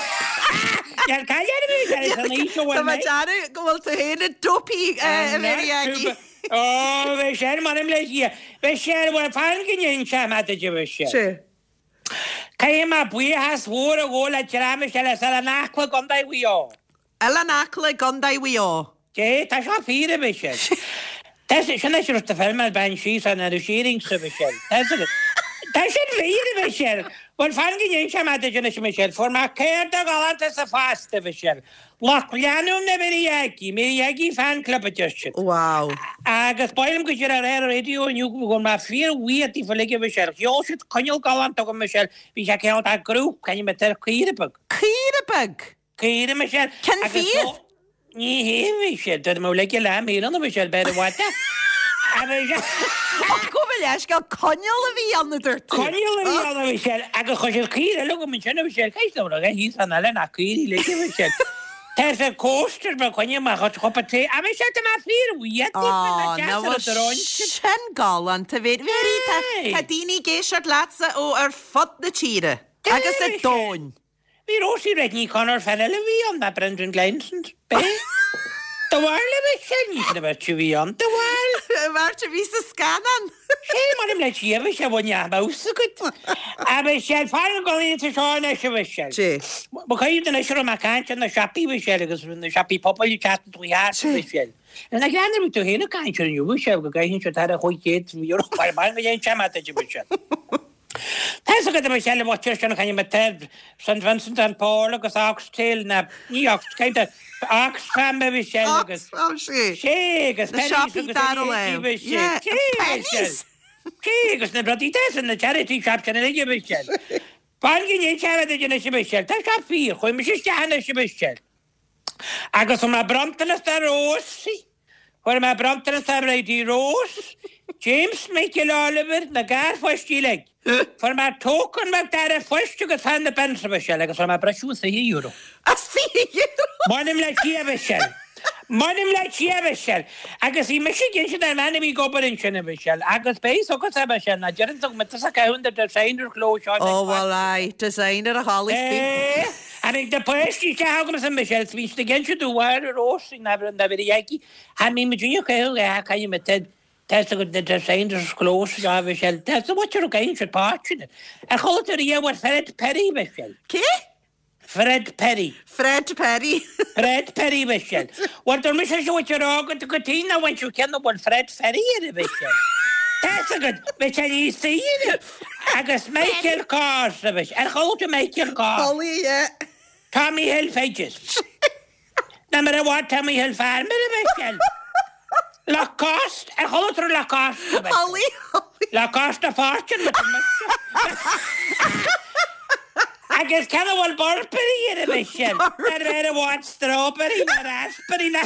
I: níl caill ar a Mhichelle, san aois a bhfuil
A: Tá mé
I: mé.
A: dearú go bhfuil tú féin i dopey, a Mhéirí Aggie.
I: Ó, Mhichelle, m'anam le Dia. Mhichelle, bhuel, fan go n-inseoidh mé duit, a Mhichelle.
A: Sé.
I: Caithfidh mé buíochas mhór a ghabháil le dream Mhichelle as Oileán Acla i gContae Mhaigh Eo.
A: Oileán Acla i gContae Mhaigh Eo.
I: Dé, tá seo fíor, a Mhichelle. Tá sin is rud a film ar bean síos an ar a shearing sa Mhichelle. Tá sin Tá sin fíor, a Mhichelle. Bhuel, fan go n-inseoidh mé duit anois, a Mhichelle. Fuair mé cárta galánta sa phost, a Mhichelle. Lucht leanúna na Mary Aggie, Mary Aggie Fan Club a deir siad.
A: Wow.
I: Agus ba mhaith liom go dtí ar an raidió inniu go bhfuil mé fíor-bhuíoch daofa uilig, a Mhichelle. Sheol siad coinneal galánta chugam, Michelle. Bhí sé cineál dá gcrú, caithfidh mé tar caoire beag.
A: Caoire beag?
I: Caoire, Michelle.
A: Cén
I: Agus
A: fíor?
I: ó- Ní hé, Michelle. Dúirt mé uilig le mí ann, a Michelle, b'fhéidir i bhfad. A Michelle.
A: Ach go bhfuil leisce coinneal a bhí ann a dúirt tú.
I: Coinneal a bhí ann, a Michelle, agus chuir siad caoire eile chugam ansin, a Michelle. Cé is dóigh liom, thíos an eile nach caoire uilig, a Michelle. Tá sa cóistir ba choinne amach as chupa tae. A Michelle, tá mé fíor-bhuíoch daofa,
A: Á,
I: na
A: ná
I: deas ar
A: bhfuil
I: a dtróin.
A: sin galánta, Mhéirí. Mhéirí, tá
I: Aye.
A: tá daoine ag éisteacht leatsa ó ar fud na tíre agus
I: Aye,
A: i domhain.
I: Bhí Rosie Redney Connor fan eile bhí ann, ná Brendan Gleeson. Bé? Do bharr le Michelle, ní sin a bheirt a bhí ann. Do bharr.
A: Bheirt a bhí sa scannán.
I: Sé mar le si a sé bhain mouse agat. A Michelle, fan go líon seo anois, a Michelle.
A: Sé.
I: Ba chuid den isir ma caint na siopaí Michelle agus na siopaí pobail teacht tú heart
A: Sé.
I: Michelle. Na gleanna bhí tú héna caint ar inniu Michelle go gcaithfidh sé tar a chuid céad euro mar mar go dhéan sé mat Michelle. Tá go Michelle a bhir sin chaine me St Vincent and Paul agus Oxtail na ní Ox kind of Oxfam a Michelle agus
A: Oxfam sé.
I: sé agus
A: Na
I: Penneys
A: siopaí
I: agus
A: dara
I: a
A: léim.
I: Michelle.
A: Yeah,
I: Sé,
A: Penneys.
I: Michelle. Sé agus na rudaí des na charity shop sin uilig, Michelle. Fan go n sé a sin Michelle. Tá sé fíor, chuaigh mise isteach anois, Michelle. Agus fuair mé bronntanas de Rósaí. Fuair mé bronntanas de Lady Rose, James Michael Oliver, na garpháistí uilig. Fuair mé token beag d'Aire Phoist agus fan na Bensa Michelle agus fuair mé briseadh as fiche euro.
A: As fiche euro?
I: M'anam le Dia Michelle. M'anam le Dia Michelle. Agus í mise gin sin ar man a bhí ag obair ansin, a Michelle. Agus beidh agus a Michelle na deireann tú me a ceann de designer clothes seo.
A: Oh, well, aye, designer a Holly
I: Eh, Tháinig na páistí isteach agam a Michelle, bhí siad ag inse domh ar Rós na na bhí aici. Tha mí mu dúine chuil le caine me ted Test go na designers clothes seo Michelle. Test what you're going to páirtine. Ar chuala tú riamh ar Fred Perry Michelle.
A: Cé?
I: Fred Perry.
A: Fred Perry.
I: Fred Perry Michelle. Well dúirt mise seo what you're go go tí na bhain cen bhfuil Fred Ferry ar Michelle. Test go Michelle í saoire agus Michael Kors Michelle. Ar chuala tú Michael Kors.
A: Holly, yeah.
I: Tommy Hilfiger. Na mar a bhaid Tommy Hilfiger, Michelle. Lacoste, ar chuala tú Lacoste.
A: Holly, Holly.
I: Lacoste Fortune Agus cen bhfuil Burberry ar a Michelle. Ar ar a bhaid strawberry na raspberry na.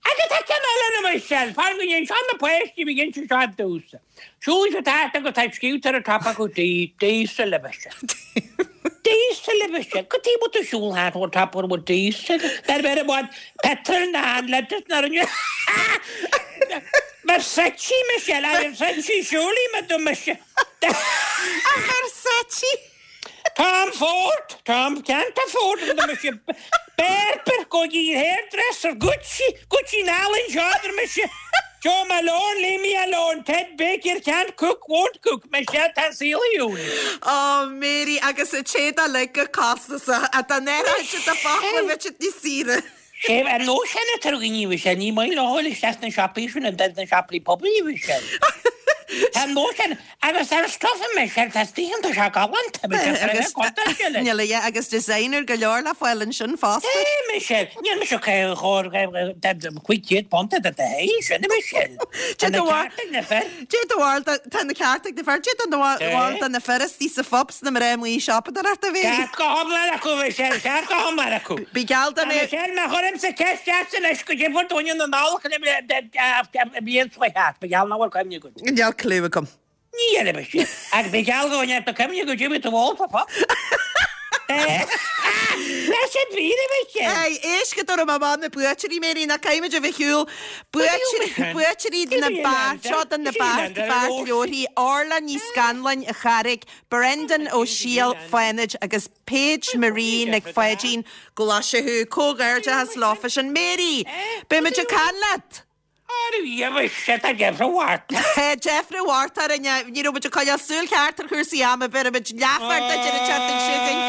I: Agus tá cen eile na Michelle, Fan go dhéon sean na páistí bhí gin seo dúsa. Siúil se tá go tá scútar a tapa go dí diesel le Michelle. Diesel le Michelle. Go tí mu tú siúl hát ó tap bhfuil diesel. Dar bheith a bhaid petrol na an le na rinne. Versace Michelle, a Versace siúlaí me do Michelle.
A: A Versace.
I: Tom Ford, Tom can't afford the Michelle. Berber go dtí hairdresser Gucci, Gucci Nalin Jodr Michelle. Joe Malone, leave me alone. Ted Baker can't cook, won't cook. Michelle tá saoil
A: Oh, Mary, agus a téada le go costas a tá néra de fála bheit ní saoire.
I: Sé an nó sin a tar gní sé ní mai leáil isteach na siopaí sin an na siopaí pobail sé. Tá nó sin agus ar stuff Michelle tá stíhan tá sé galánta
A: Níl é agus designer go leor le fáil ansin fosta.
I: É Michelle, níl me chu chóir chuig céad punt de hé sin Michelle.
A: Dé
I: na ceart na fir?
A: Dé do bharúil tá na ceart ag na fir, Dé do bharúil tá na fir sa phubs na mná amuigh siopadóireacht a bhí.
I: Ceart go hiomlán acu Michelle, ceart go hiomlán acu.
A: Bí geall do mé.
I: Michelle, má chuirim sa ceist ceart leis go dé dúine na nála blion seo heart, ba geall ná bhfuil cuimhne agat.
A: Níl clue agam.
I: Ní dhéanfaidh mise. Ach bhí geall go ndéanfadh tú cuimhne go dtiocfaidh tú ólta pop. Leis an bhfírinne mise.
A: Aye, éist go dtabharfaidh mé amach na buaiteoirí, Mary, ná caithfimid a bheith ar shiúl. Buaiteoirí, buaiteoirí na beart, seo do na beart, beart leabharthaí, Orla Ní Scanláin, an Charraig, Brendan Ó Siail, Fánaid agus Paige Marie Nic Pháidín, Glaschú. Comhghairdeachas leofa sin. Mary, beimid ag caint leat! Deifre Mhárta orainn, ní raibh muid ag coinneáil súil cheart ar chúrsaí ama, bhéarfaimid leathuair duit ar an tseachtain seo chugainn.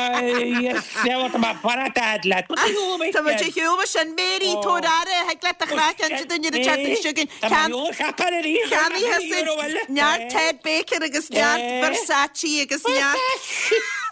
A: Tá muid ar shiúl mar sin. Mary, tabhair aire, thig leat do chraiceann a inse dúinn ar an tseachtain seo chugainn. Ceannaithe neart Ted Baker agus neart Versace agus neart.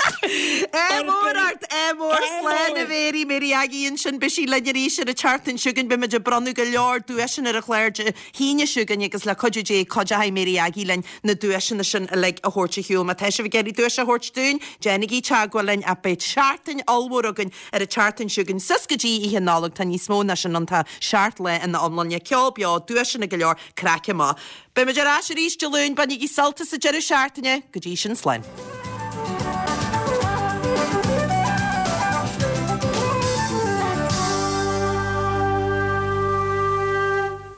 A: Ádh mór ort, ádh mór, slán a Mhary, Mary Aggie ansin, beidh sí linn arís ar an tseachtain seo chugainn, beidh muid ag bronnadh go leor duaiseanna ar an chlár Dé hAoine seo chugainn agus le cuidiú Dé cuideoidh Mary Aggie linn na duaiseanna sin uilig a thabhairt ar shiúl. Má tá sibh ag iarraidh duais a thabhairt dúinn, déanaigí teagmháil linn ach beidh seachtain ollmhór againn ar an tseachtain seo chugainn suas go dtí Oíche Nollag, tá níos mó ná sin ann, tá seacht lá ina iomláine, ceol beo, duaiseanna go leor, craic maith. Beidh muid ar ais arís Dé Luain, bainigí sult as an deireadh seachtaine, go dtí sin slán.